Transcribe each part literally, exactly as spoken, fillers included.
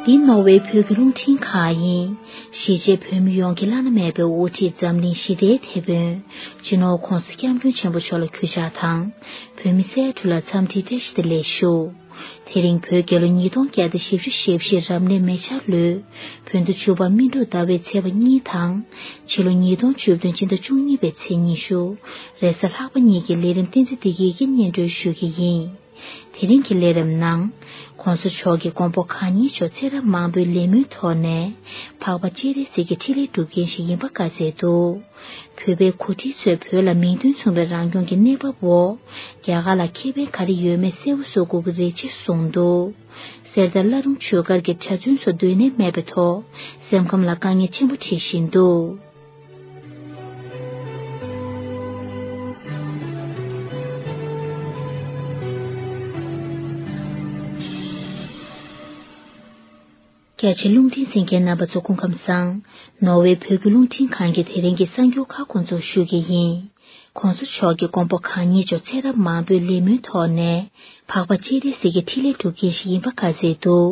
འདི་ནོར་ཝེ་བོད་ཀྱི་རླུང་འཕྲིན་ཁང་ཡིན། གཞིས་བྱེས་བོད་མི་ཡོངས་ཀྱི་བླ་ན་མེད་པའི་དབུ་ཁྲིད་འཛམ་གླིང་ཞི་བདེའི་དེད་དཔོན་སྤྱི་ནོར་༧གོང་ས་༧སྐྱབས་མགོན་ཆེན་པོ་མཆོག་ལ་གུས་ཕྱག་དང་། བོད་མི་སེར་ཁྲོད་ལ་འཚམས་འདྲིའི་བཀྲ་ཤིས་བདེ་ལེགས་ཞུ། དེ་རིང་བོད་རྒྱལ་ལོ་ཉིས་སྟོང་བརྒྱ་དང་བཞི་བཅུ་ཞེ་བཞི་རབ་གནས་མེ་བྱ་ལོའི་བོད་ཟླ་བཅུ་པ་སྨིན་དྲུག་ཟླ་བའི་ཚེས་པ་གཉིས་དང་། ཕྱི་ལོ་ཉིས་སྟོང་བཅུ་བདུན་སྤྱི་ཟླ་བཅུ་གཉིས་པའི་ཚེས་ཉི་ཤུ། རེས་གཟའ་ལྷག་པ་ཉིན་གྱི་ལས་རིམ་བསྟན་འཛིན་བདེ་སྐྱིད་ཀྱིས་སྙན་སྒྲོན་ཞུ་གི་ཡིན། དེ་རིང་གི་ལས་རིམ་ནང་། ༸གོང་ས་མཆོག་གི་དགོངས་པ་གང་ཉིད་མཆོག་ཚེ་རབས་མང་པོའི་ལས་སྨོན་ཐོག་ནས་འཕགས་པ་སྤྱན་རས་གཟིགས་ཀྱི་ཕྲིན་ལས་སྒྲུབ་མཁན་ཞིག་ཡིན་པ་བཀའ་སྩལ་འདུག་བོད་པའི་འགོ་ཁྲིད་ཚོས་བོད་ལ་མིང་དོན་མཚུངས་པའི་རང་སྐྱོང་གི་གནས་བབ་འོག་རྒྱ་གར་ལ་ཁེ་ཕན་ག་རེ་ཡོད་མེད་གསལ་པོ་བཟོ་དགོས་ཀྱི་རེད་ཅེས་གསུངས་འདུག་གསེར་རྟ་བླ་རུང་ཆོས་སྒར་གྱི་གྲྭ་བཙུན་ཚོ་སྡོད་གནས་མེད་པའི་ཐོག་སེམས་ཁམས་ལ་དཀའ་ངལ་ཆེན་པོ་འཕྲད་བཞིན་འདུག་རྒྱ་ཆེ་རླུང་འཕྲིན་གསན་མཁན་རྣམ་པ་ཚོ་སྐུ་ཁམས་བཟང་། ནོར་ཝེ་བོད་ཀྱི་རླུང་འཕྲིན་ཁང་གི་དེ་རིང་གི་གསར་འགྱུར་ཁག་འགོ་འཛུགས་ཞུ་གི་ཡིན། ༸གོང་ས་མཆོག་གི་དགོངས་པ་གང་ཉིད་མཆོག་ཚེ་རབས་མང་པོའི་ལས་སྨོན་ཐོག་ནས་འཕགས་པ་སྤྱན་རས་གཟིགས་ཀྱི་ཕྲིན་ལས་སྒྲུབ་མཁན་ཞིག་ཡིན་པ་བཀའ་སྩལ་འདུག་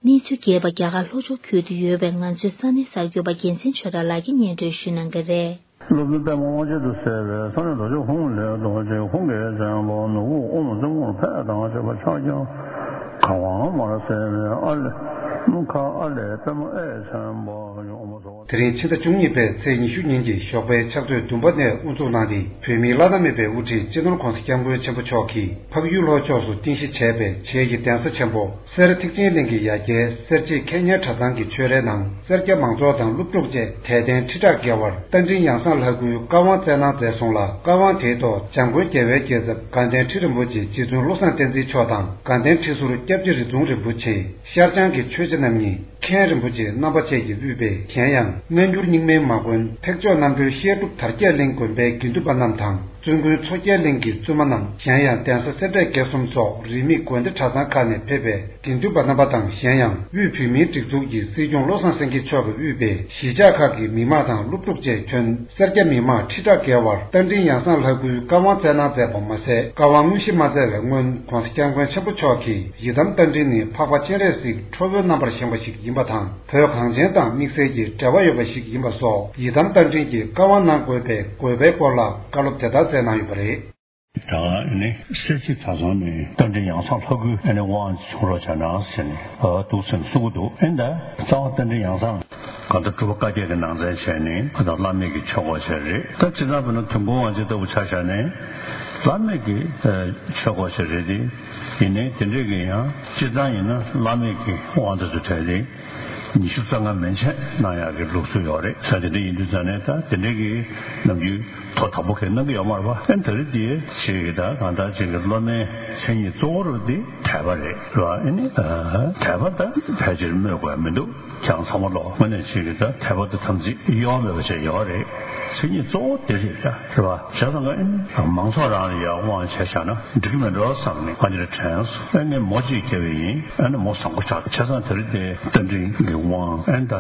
གནས་ཚུལ་རྒྱས་པ་རྒྱ་གར་ལྷོ་ཕྱོགས་ཁུལ་དུ་ཡོད་པའི་ང་ཚོའི་ས་གནས་གསར་འགོད་པ་རྒྱལ་མཚན་ཆོས་གྲགས་ལགས་ཀྱིས་སྙན་སྒྲོན་ཞུ་གནང་གི་རེད། སློབ་དཔོན་པདྨ་དབང་ཆེན་དུ་གསལ་བའི་ས་གནས་རྡོ་རྗེ་ཧཱུྃ་ལས་རྡོ་རྗེ་ཧཱུྃ་གི་བཙན་པོ་ནོར་བུ་ཨོཾ་རྫི་གུར་ཕཊ་དང་བཅས་པ་ཕྱག་རྒྱ་གང་བ་མར་གསལ་བའི་ཨ་ལས་སྣུམ་ཁ་ཨ་ལས་པདྨ་ཨེ་ཆེན་པོ་ཡོངས་སུ། དེ་རིང་ཕྱི་ཟླ་བཅུ་གཉིས་པའི་ཚེས་ཉི་ཤུ་ཉིན་གྱི་ཞོགས་པའི་ཕྱག་ཚོད་བདུན་པ་ནས་དབུ་འཛུགས་གནང་སྟེ། བོད་མིའི་བླ་ན་མེད་པའི་དབུ་ཁྲིད་སྤྱི་ནོར་༸གོང་ས་༸སྐྱབས་མགོན་ཆེན་པོ་མཆོག་གིས་འཕགས་ཡུལ་ལྷོ་ཕྱོགས་སུ་རྟེན་གཞི་བྱས་པའི་བྱེས་ཀྱི་གདན་ས་ཆེན་པོ་སེ་ར་ཐེག་ཆེན་གླིང་གི་ཡ་གྱལ་སེར་བྱེས་མཁས་སྙན་གྲྭ་ཚང་གི་ཆོས་རའི་ནང་། སེར་སྐྱ་མང་ཚོགས་དང་སློབ་ཕྲུག་བཅས་དད་ལྡན་ཁྲི་ཕྲག་བརྒལ་བར་རྟ་མགྲིན་ཡང་གསང་ལྷ་སྐུའི་བཀའ་དབང་སྩལ་གནང་མཛད་སོང་ལ། བཀའ་དབང་དེའི་ཐོག་འཇམ་མགོན་རྒྱལ་བའི་རྒྱལ་ཚབ་དགའ་ལྡན་ཁྲི་རིན་པོ་ཆེ་རྗེ་བཙུན་བློ་བཟང་བསྟན་འཛིན་མཆོག་དང་། དགའ་ལྡན་ཁྲི་ཟུར་སྐྱབས་རྗེ་རིགས་རྫོང་རིན་པོ་ཆེ། ཤར་བྱང་གི་ཆོས་རྗེ་རྣམ་གཉིས། མཁན་རིན་པོ་ཆེ་རྣམ་པ་བཅས་ཀྱིས་དབུས་པའི་གཞན་ཡང་སྔ་འགྱུར་རྙིང་མའི་མ་དགོན་ཐེག་མཆོག་རྣམ་གྲོལ་བཤད་སྒྲུབ་དར་རྒྱས་གླིང་དགོན་པའི་དགེ་འདུན་པ་རྣམས་དང་། བཙུན་དགོན་མཚོ་རྒྱལ་གླིང་གི་བཙུན་མ་རྣམས། གཞན་ཡང་གདན་ས་སེ་འབྲས་དགེ་གསུམ་སོགས་རིས་མེད་དགོན་སྡེ་གྲྭ་ཚང་ཁག་ནས་ཕེབས་པའི་དགེ་འདུན་པ་རྣམ་པ་དང་། གཞན་ཡང་དབུས་བོད་མིའི་སྒྲིག་འཛུགས་ཀྱི་སྲིད་སྐྱོང་བློ་བཟང་སེང་གེ་མཆོག་གིས་དབུས་པའི་གཞིས་ཆགས་ཁག་གི་མི་མང་དང་སློབ་ཕྲུག་བཅས་ཁྱོན་སེར་སྐྱ་མི་མང་ཁྲི་ཕྲག་བརྒལ་བར་རྟ་མགྲིན་ཡང་གསང་ལྷ་སྐུའི་བཀའ་དབང་སྩལ་གནང་མཛད་པ་མ་ཟད། བཀའ་དབང་དངོས་གཞི་མ་སྩལ་བའི་སྔོན་༸གོང་ས་༸སྐྱབས་མགོན་ཆེན་པོ་མཆོག་གིས་ཡི་དམ་རྟ་མགྲིན་ནི་འཕགས་པ་སྤྱན་རས་གཟིགས་ཁྲོ་བོའི་རྣམ་པར་བཞེངས་པ་ཞིག་ཡིན་པ་དང་། བོད་གངས་ཅན་དང་དམིགས་བསལ་གྱི་འབྲེལ་བ་ཡོད་པ་ཞིག་ཡིན་པ་སོགས་ཡི་དམ་རྟ་མགྲིན་གྱི་བཀའ་དབང་གནང་དགོས་པའི་དགོས་པའི་སྐོར་ལ་བཀའ་སློབ་དེ་ལྟར་སྩལ་གནང་ཡོད་པ་རེད། ད་ནི་སེར་བྱེས་གྲྭ་ཚང་ནས་རྟ་མགྲིན་ཡང་གསང་ལྷ་སྐུའི་ཨ་ནི་དབང་བྱུང་རོགས་བྱས་ན་ཟེར་ནས་འདུག་སེ་གསུང་གི་འདུག་ཨེ་འདྲ་རྩ་བ་རྟ་མགྲིན་ཡང་གསང་གང་ལྟར་སྒྲུབ་པ་བཀའ་བརྒྱད་ཀྱི་ནང་ཚན་བྱས་ནས་ད་བླ་མེད་ཀྱི་ཆོས་སྐོར་བྱས་རེད། ད་སྤྱིར་བཏང་བོད་ན་དུས་འཁོར་དབང་ཆེན་ལྟ་བུ་ཆ་བཞག་ནས་བླ་མེད་ཀྱི་ཆོས་སྐོར་བྱས་རེད་དེ། ཡིན་ནའི་དེ་འདྲས་ཀྱི་ཡང་སྤྱིར་བཏང་ཡིན་ན་བླ་མེད་ཀྱི་དབང་དེ་ཚོ་གྲས་དེ་ཉི་ཤུ་རྩ་ལྔ་མན་ཆད་གནང་ཡག་གི་ལུགས་སྲོལ་ཡོད་རེད། ས་དེ་འདྲ་ཡིན་དུས་ཙང་ནས་ད་དེ་འདྲས་ཀྱི་ནམ་རྒྱུན་ཐོག་དང་པོ་གས་གནང་གི་ཡོད་མ་རེད་པ། ཨ་ནི་ད་རེས་དེ་ཅིག་གི་ད་གང་ལྟར་ཅིག་གི་སློབ་མའི་མཚན་ཉིད་གཙོ་བོ་རུ་དེ་དད་པ་རེད་ར། ཨ་ནི་དད་པ་ད་ཕལ་ཆེར་སྨོས་དགོས་མི་འདུག་ཀྱང་ཚང་མ་ལོག་དངོས་གནས་ཅིག་གི་ད་དད་པ་དེ་དམ་ཚིག་གཡོ་མེད་པ་ཅིག་ཡོད་རེད། མཚན་ཉིད་གཙོ་བོ་དེ་རེད་ད། རེད་བ། བྱས་ཙང་ཀ་ཨེ་ནི་མང་ཚོགས་རང་ལ་ཡར་དབང་བྱས་བཞག་ན་འགྲིག་གི་མེད་འགྲོ་བསམ་ནས་ང་འདི་ལ་དྲན་སོང་། ཨེ་ནི་མོ་གཅིག་སྐྱེ་བ་ཡིན། ཨེ་ནི་མོ་བཟང་པོ་ཆགས། བྱས་ཙང་དེ་རིང་དེ་རྟ་མགྲིན་གྱི་དབང་ཨེ་ནི་ད་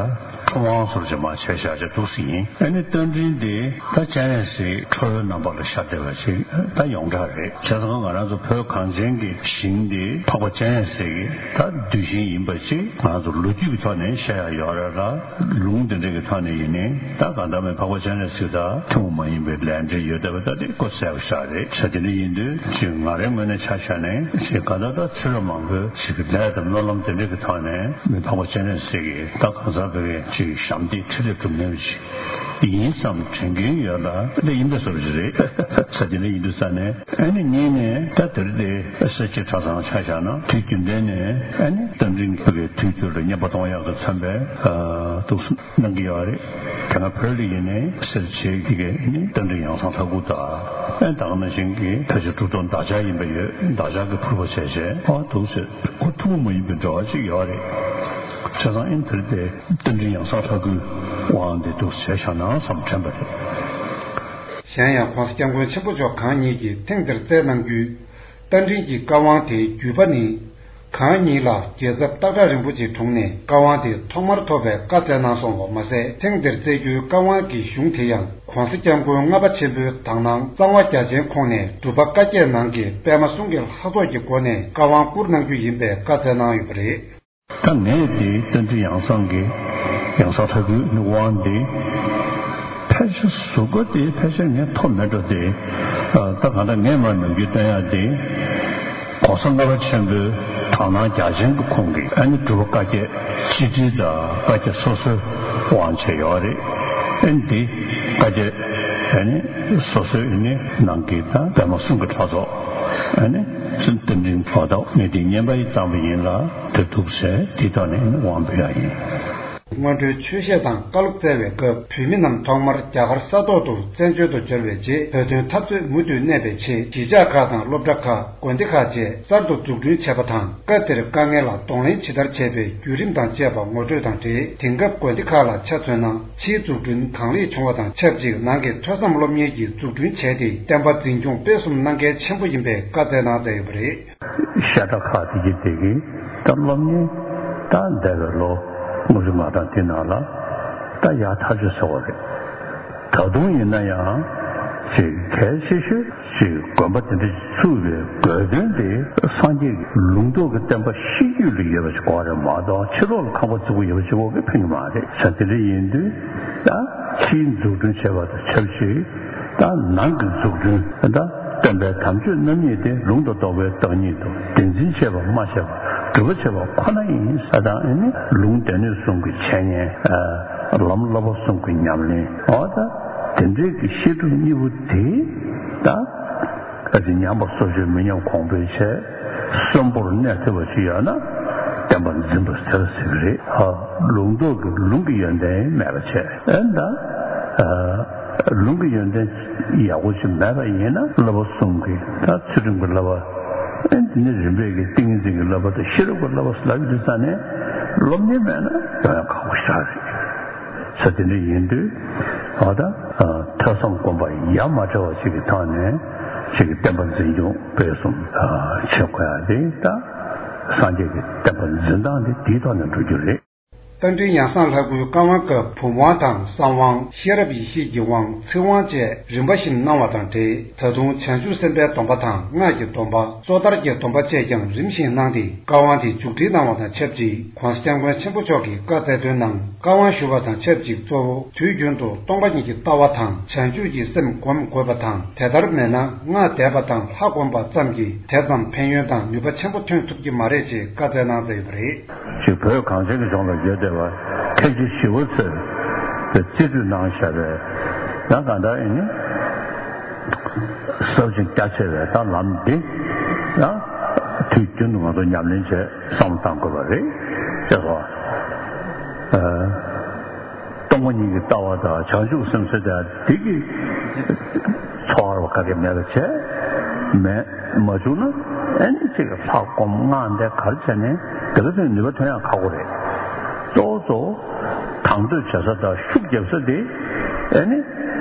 ཁྲོམ་དབང་ཟུར་གྱི་མ་བྱས་བཞག་ཅིག་འདུག་སེ་ཡིན། ཨེ་ནི་རྟ་མགྲིན་དེ་ད་སྤྱན་རས་གཟིགས་ཁྲོ་བོའི་རྣམ་པ་ལ་ཤར་བསྡད་པ་ཅིག་ད་ཡོངས་གྲགས་རེད། བྱས་ཙང་ང་རང་ཚོ་བོད་གངས་ཅན་གྱི་ཞིང་འདི་འཕགས་པ་སྤྱན་རས་གཟིགས་ཀྱི་ད་གདུལ་ཞིང་ཡིན་པ་ཅིག་ང་ཚོ་ལོ་རྒྱུས་ཀྱི་ཐོག་ནས་བཤད་ཡ་ཡོད་རེད་ལ། ལུང་དེ་འདྲ་གི་ཐོག་ནས་ཡིན་ནའི་ད་གང་ལྟར་མེད་འཕགས་པ་སྤྱན་རས་གཟིགས་དང་ཐུན་མོང་མ་ཡིན་པའི་ལས་འབྲེལ་ཡོད་བསྡད་པ་ད་དེ་ཀོ་གསལ་པོ་ཤག་རེད། ས་དེ་འདྲ་ཡིན་དུས་ཅིག་ང་རའི་ངོས་ནས་ཆ་བཞག་ནས་ཅིག་གང་ལྟར་ད་ཚེ་རབས་མང་པོའི་ཅིག་གི་ལས་དང་སྨོན་ལམ་དེ་འདྲ་གི་ཐོག་ནས་མེད་འཕགས་པ་སྤྱན་རས་གཟིགས་ཀྱི་ད་གང་ཟག་བོད་ཀྱི་ཅིག་ཞབས་འདེགས་ཕྲིན་ལས་སྒྲུབ་མཁན་ཞིག་ཡིན་བསམ་དྲན་གྱིན་ཡོད་ལ་འདི་ཡིན་པའི་བཟོ་འདྲ་ཞིག་རེད། ས་དེ་འདྲ་ཡིན་དུས་ས་ནས་ཨ་ནི་གཉིས་ནས་ད་དེ་རིང་དེ་སེར་བྱེས་གྲྭ་ཚང་ཆ་བཞག་ན་དུས་རྒྱུན་ལྡན་ནས་ཨ་ནི་རྟ་མགྲིན་བོད་ཀྱི་དུས་འགྱུར་ལ་བསྙེན་པ་གཏོང་ཡག་གི་མཚོན་པའི་འདུག་སེ་གནང་གི་ཡོད་རེད། དེ་སྔ་བོད་ལ་ཡིན་ནའི་སེར་བྱེས་ཀྱི་ནི་རྟ་མགྲིན་ཡང་གསང་ལྷ་སྐུ་དང་ཨ་ནི་ད་ག་ནང་བཞིན་གྱི་ཕལ་ཆེར་གྲུབ་ཐོབ་འདག་ཆགས་ཡིན་པ་ཡོད། འདག་ཆགས་ཀྱི་ཕུར་པ་བྱས་བྱས་ཨ་འདུག་སེ་ཁོ་ཐུན་མོང་མ་ཡིན་པའི་འབྲེལ་བ་ཅིག་ཡོད་རེད། བྱས་ཙང་ཨ་ནི་དེ་རིང་དེ་རྟ་མགྲིན་ཡང་གསང་ལྷ་སྐུའི་དབང་འདི་འདུག་སེ་བྱས་བཞག་ན་བསམ་དྲན་པ་རེད། གཞན་ཡང་༸གོང་ས་༸སྐྱབས་མགོན་ཆེན་པོ་མཆོག་གང་ཉིད་ཀྱིས་ཐེངས་འདིར་སྩལ་གནང་རྒྱུའི་རྟ་མགྲིན་གྱི་བཀའ་དབང་དེའི་བརྒྱུད་པ་ནི། གང་ཉིད་ལ་རྒྱལ་ཚབ་སྟག་བྲག་རིན་པོ་ཆེའི་དྲུང་ནས་བཀའ་དབང་དེ་ཐོག་མར་ཐོབ་པའི་བཀའ་སྩལ་གནང་སོང་བ་མ་ཟད། ཐེངས་འདིར་སྩལ་རྒྱུའི་བཀའ་དབང་གི་གཞུང་དེ་ཡང་༸གོང་ས་༸སྐྱབས་མགོན་ལྔ་པ་ཆེན་པོའི་དག་སྣང་གཙང་བ་རྒྱ་ཆེན་ཁོངས་ནས་སྒྲུབ་པ་བཀའ་བརྒྱད་ནང་གི་པདྨ་གསུང་གི་ལྷ་ཚོགས་ཀྱི་སྒོ་ནས་བཀའ་དབང་བསྐུར་གནང་རྒྱུ་ཡིན་པའི་བཀའ་སྩལ་གནང་ཡོད་པ་རེད། ད་ངས་དེ་རྟེན་འབྲེལ་ཡང་གསང་གི་ཡང་གསང་ལྷ་སྐུའི་དབང་དེ་ཕལ་ཆེར་གཟུགས་པོ་དེ་ཕལ་ཆེར་ངས་ཐོབ་མེད་འགྲོ་དེ། ད་གང་ལྟར་ངས་མར་ནམ་རྒྱུན་སྟོན་ཡག་དེ། ༸གོང་ས་ལྔ་པ་ཆེན་པོའི་དག་སྣང་རྒྱ་ཆེན་གྱི་ཁོང་གིས་ཨ་ནི་སྒྲུབ་པ་བཀའ་བརྒྱད་སྤྱི་དྲིལ་དང་བཀའ་བརྒྱད་སོ་སོའི་དབང་བྱས་ཡོད་རེད། ཨ་ནི་དེ་བཀའ་བརྒྱད་ཨ་ནི་སོ་སོའི་ཨ་ནི་ནང་གི་དང་པདྨ་གསུང་གི་གྲོགས་ཚོགས་ཨ་ནི་ཚུལ་རྟེན་འབྲེལ་ལོ་ཟླ་ངས་དེ་བསྙེན་པ་ཡི་བཏང་པ་ཡིན་ལ་དེ་འདུག་ཟེར་དེ་ཐོག་ནས་དབང་ཕུལ་ཡག་ཡིན། སྔོན་འགྲོའི་ཆོས་བཤད་དང་བཀའ་སློབ་སྩལ་བའི་སྐབས་བོད་མི་རྣམས་ཐོག་མར་རྒྱ་གར་ས་ཐོག་ཏུ་བཙན་བྱོལ་དུ་འབྱོར་བའི་རྗེས་བོད་དོན་འཐབ་རྩོད་མུ་མཐུད་གནས་པའི་ཆེད་གཞིས་ཆགས་ཁག་དང་སློབ་གྲྭ་ཁག་དགོན་སྡེ་ཁག་བཅས་གསར་དུ་འཛུགས་སྐྲུན་བྱས་པ་དང་སྐབས་དེར་དཀའ་ངལ་ལ་གདོང་ལེན་ཇི་ལྟར་བྱས་པའི་བརྒྱུད་རིམ་དང་བཅས་པ་ངོ་སྤྲོད་དང་འབྲེལ་དེང་སྐབས་དགོན་སྡེ་ཁག་ལ་ཆ་མཚོན་ན་ཕྱིའི་འཛུགས་སྐྲུན་གང་ལེགས་བྱུང་བ་དང་ཆབས་ཅིག་ནང་གི་ཐོས་བསམ་སློབ་གཉེར་གྱི་འཛུགས་སྐྲུན་བྱས་ཏེ་བསྟན་པ་འཛིན་སྐྱོང་སྤེལ་གསུམ་གནང་གལ་ཆེན་པོ་ཡིན་པའི་བཀའ་སྩལ་གནང་མཛད་ཡོད་པ་རེད། བཤད་གྲྭ་ཁག་དེ་གི་དེ་གི་ད་སློབ་གཉེར་ད་འདས་པའི་ལོ་ལྔ་བཅུ་ང་གྲངས་དེ་ནང་ལ་ད་ཡག་ཐག་ཆོད་ཟེར་བ་རེད། ད་དུང་ཡིན་ན་ཡང་ཅིག་གལ་ཆེ་ཤོས་ཅིག་དགོན་པ་དེ་འདྲ་ཚུགས་པའི་དགོས་དོན་དེ་སངས་རྒྱས་ཀྱི་ལུང་རྟོགས་ཀྱི་བསྟན་པ་གཤིས་རྒྱུད་ལ་ཡོད་པ་ཞིག་དགོས་རེད་མ་གཏོགས་ཕྱི་ལོགས་ལ་ཁང་པ་བརྩིགས་པ་ཡོད་པ་ཞིག་དགོས་ཀྱི་ཕན་གྱི་མ་རེད། ས་དེ་འདྲ་ཡིན་དུས་ད་ཕྱིའི་འཛུགས་སྐྲུན་བྱས་པ་དང་ཆབས་ཅིག་ད་ནང་གི་འཛུགས་སྐྲུན་ད་སྟོན་པའི་དམ་ཆོས་རྣམ་གཉིས་དེ་ལུང་དང་རྟོགས་པའི་བདག་ཉིད་དུ་བདེན་འཛིན་བྱས་པ་སྨྲ་བྱས་པ་སྒྲུབ་པ་བྱས་པ་ཁོ་ན་ཡིན་ས་དང་ཨ་ནི་ལུང་སྡེ་སྣོད་གསུམ་གྱི་འཆད་ཉན། ལམ་བསླབ་པ་གསུམ་གྱི་ཉམས་ལེན། འོ་ད་དེ་འདྲའི་གི་བཤད་སྒྲུབ་གཉིས་པོ་དེ་ད་ག་ཚོད་ཉམས་པ་སོར་ཆུད་མི་ཉམས་གོང་འཕེལ་བྱས་གསོན་པོར་གནས་ཐུབ་པ་ཞིག་ཡོད་ན་བསྟན་པ་འཛིན་པ་དེ་ལ་ཟེར་གི་རེད། ལུང་རྟོགས་ཀྱི་ལུང་གི་ཡོན་ཏན་མེད་པ་བྱས། ཨེ་ད། ལུང་གི་ཡོན་ཏན་ཡག་པོ་ཞིག་མེད་པ་ཡིན་ན་བསླབ་པ་གསུམ་གྱི་ད་ཚུལ་ཁྲིམས་ཀྱི་བསླབ་པ། ཨེ་འདི་ནི་རིམ་པས་ཀྱི་ཏིང་ངེ་འཛིན་གྱི་བསླབ་པ་དང་ཤེས་རབ་ཀྱི་བསླབ་པ་ལབ་ཡོང་དུས་ཙ་ནས་སློབ་གཉེར་མེད་ན་ཡོང་ཡག་ཁག་པོ་ཞིག་རེད། ས་དེ་འདྲ་ཡིན་དུས་ཨ་ད་ཐོས་བསམ་སྒོམ་པ་ཡ་མ་བྲལ་བ་ཞིག་གི་ཐོག་ནས་ཞིག་གི་བསྟན་པ་འཛིན་སྐྱོང་སྤེལ་གསུམ་བྱེད་དགོས་ཡ་དེ་ད་སངས་རྒྱས་ཀྱི་བསྟན་པ་འཛིན་སྟངས་དེ་དེའི་ཐོག་ནས་འགྲོ་རྒྱུ་རེད། རྟེན་འབྲེལ་ཡང་གསང་ལྷ་སྐུའི་བཀའ་དབང་སྐབས་བུམ་དབང་དང་གསང་དབང་། ཤེས་རབ་ཡེ་ཤེས་ཀྱི་དབང་ཚིག་དབང་བཅས་རིམ་པ་བཞིན་གནང་བ་དང་འབྲེལ་ད་དུང་བྱང་ཆུབ་སེམས་དཔའི་སྡོམ་པ་དང་སྔགས་ཀྱི་སྡོམ་པ་སོ་ཐར་གྱི་སྡོམ་པ་བཅས་ཀྱང་རིམ་བཞིན་གནང་སྟེ་བཀའ་དབང་དེ་མཇུག་སྒྲིལ་གནང་བ་དང་ཆབས་ཅིག་༸གོང་ས་༸སྐྱབས་མགོན་ཆེན་པོ་མཆོག་གིས་བཀའ་སྩལ་དོན་ནང་བཀའ་དབང་ཞུ་བ་དང་ཆབས་ཅིག་གཙོ་བོ་དུས་རྒྱུན་དུ་སྟོང་པ་ཉིད་ཀྱི་ལྟ་བ་དང་བྱང་ཆུབ་ཀྱི་སེམས་སྒོམ་དགོས་པ་དང་དེ་ལྟར་མེད་ན་སྔགས་བཟླས་པ་དང་ལྷ་བསྒོམ་པ་ཙམ་གྱིས་དེ་ཙམ་ཕན་ཡོན་དང་ནུས་པ་ཆེན་པོ་ཐོན་ཐུབ་ཀྱི་མ་རེད་ཅེས་བཀའ་སྩལ་གནང་མཛད་ཡོད་པ་རེད། ཅིག་བོད་གངས་ཅན་གྱི་ལྗོངས་ལ་ཡོད་བསྡད་པ་མཁན་ཆེན་ཞི་བ་འཚོས་རྩིས་སྤྲོད་གནང་བཞག་པའི་ཡང་གང་ལྟར་ཨེ་ནི་ཟབ་ཅིང་རྒྱ་ཆེ་བའི་ད་ལམ་འདི་ཡང་དུས་རྒྱུན་དུ་ང་ཚོ་ཉམས་ལེན་བྱས་བསམ་བློ་བཏང་དགོས་པ་རེད་ཅེས་སོ། སྟོང་པ་ཉིད་ཀྱི་ལྟ་བ་དང་བྱང་ཆུབ་སེམས་ཟེར་དེ་འདི་གི་འཚོ་བ་རུ་ག་གེ་མེད་པ་བྱས་མེད་མ་བྱུང་ན་ཨེ་ནི་ཅིག་ལྷ་སྒོམ་སྔགས་འདི་ག་རེ་བྱས་ནས་དེ་ག་ཚོད་ནུས་པ་ཐོན་ཡག་ཁག་པོ་རེད། གཙོ་བོ་གཙོ་བོ་དང་དོད་བྱེད་ས་དང་ཤུགས་རྒྱབ་ས་དེ་ཨེ་ནི་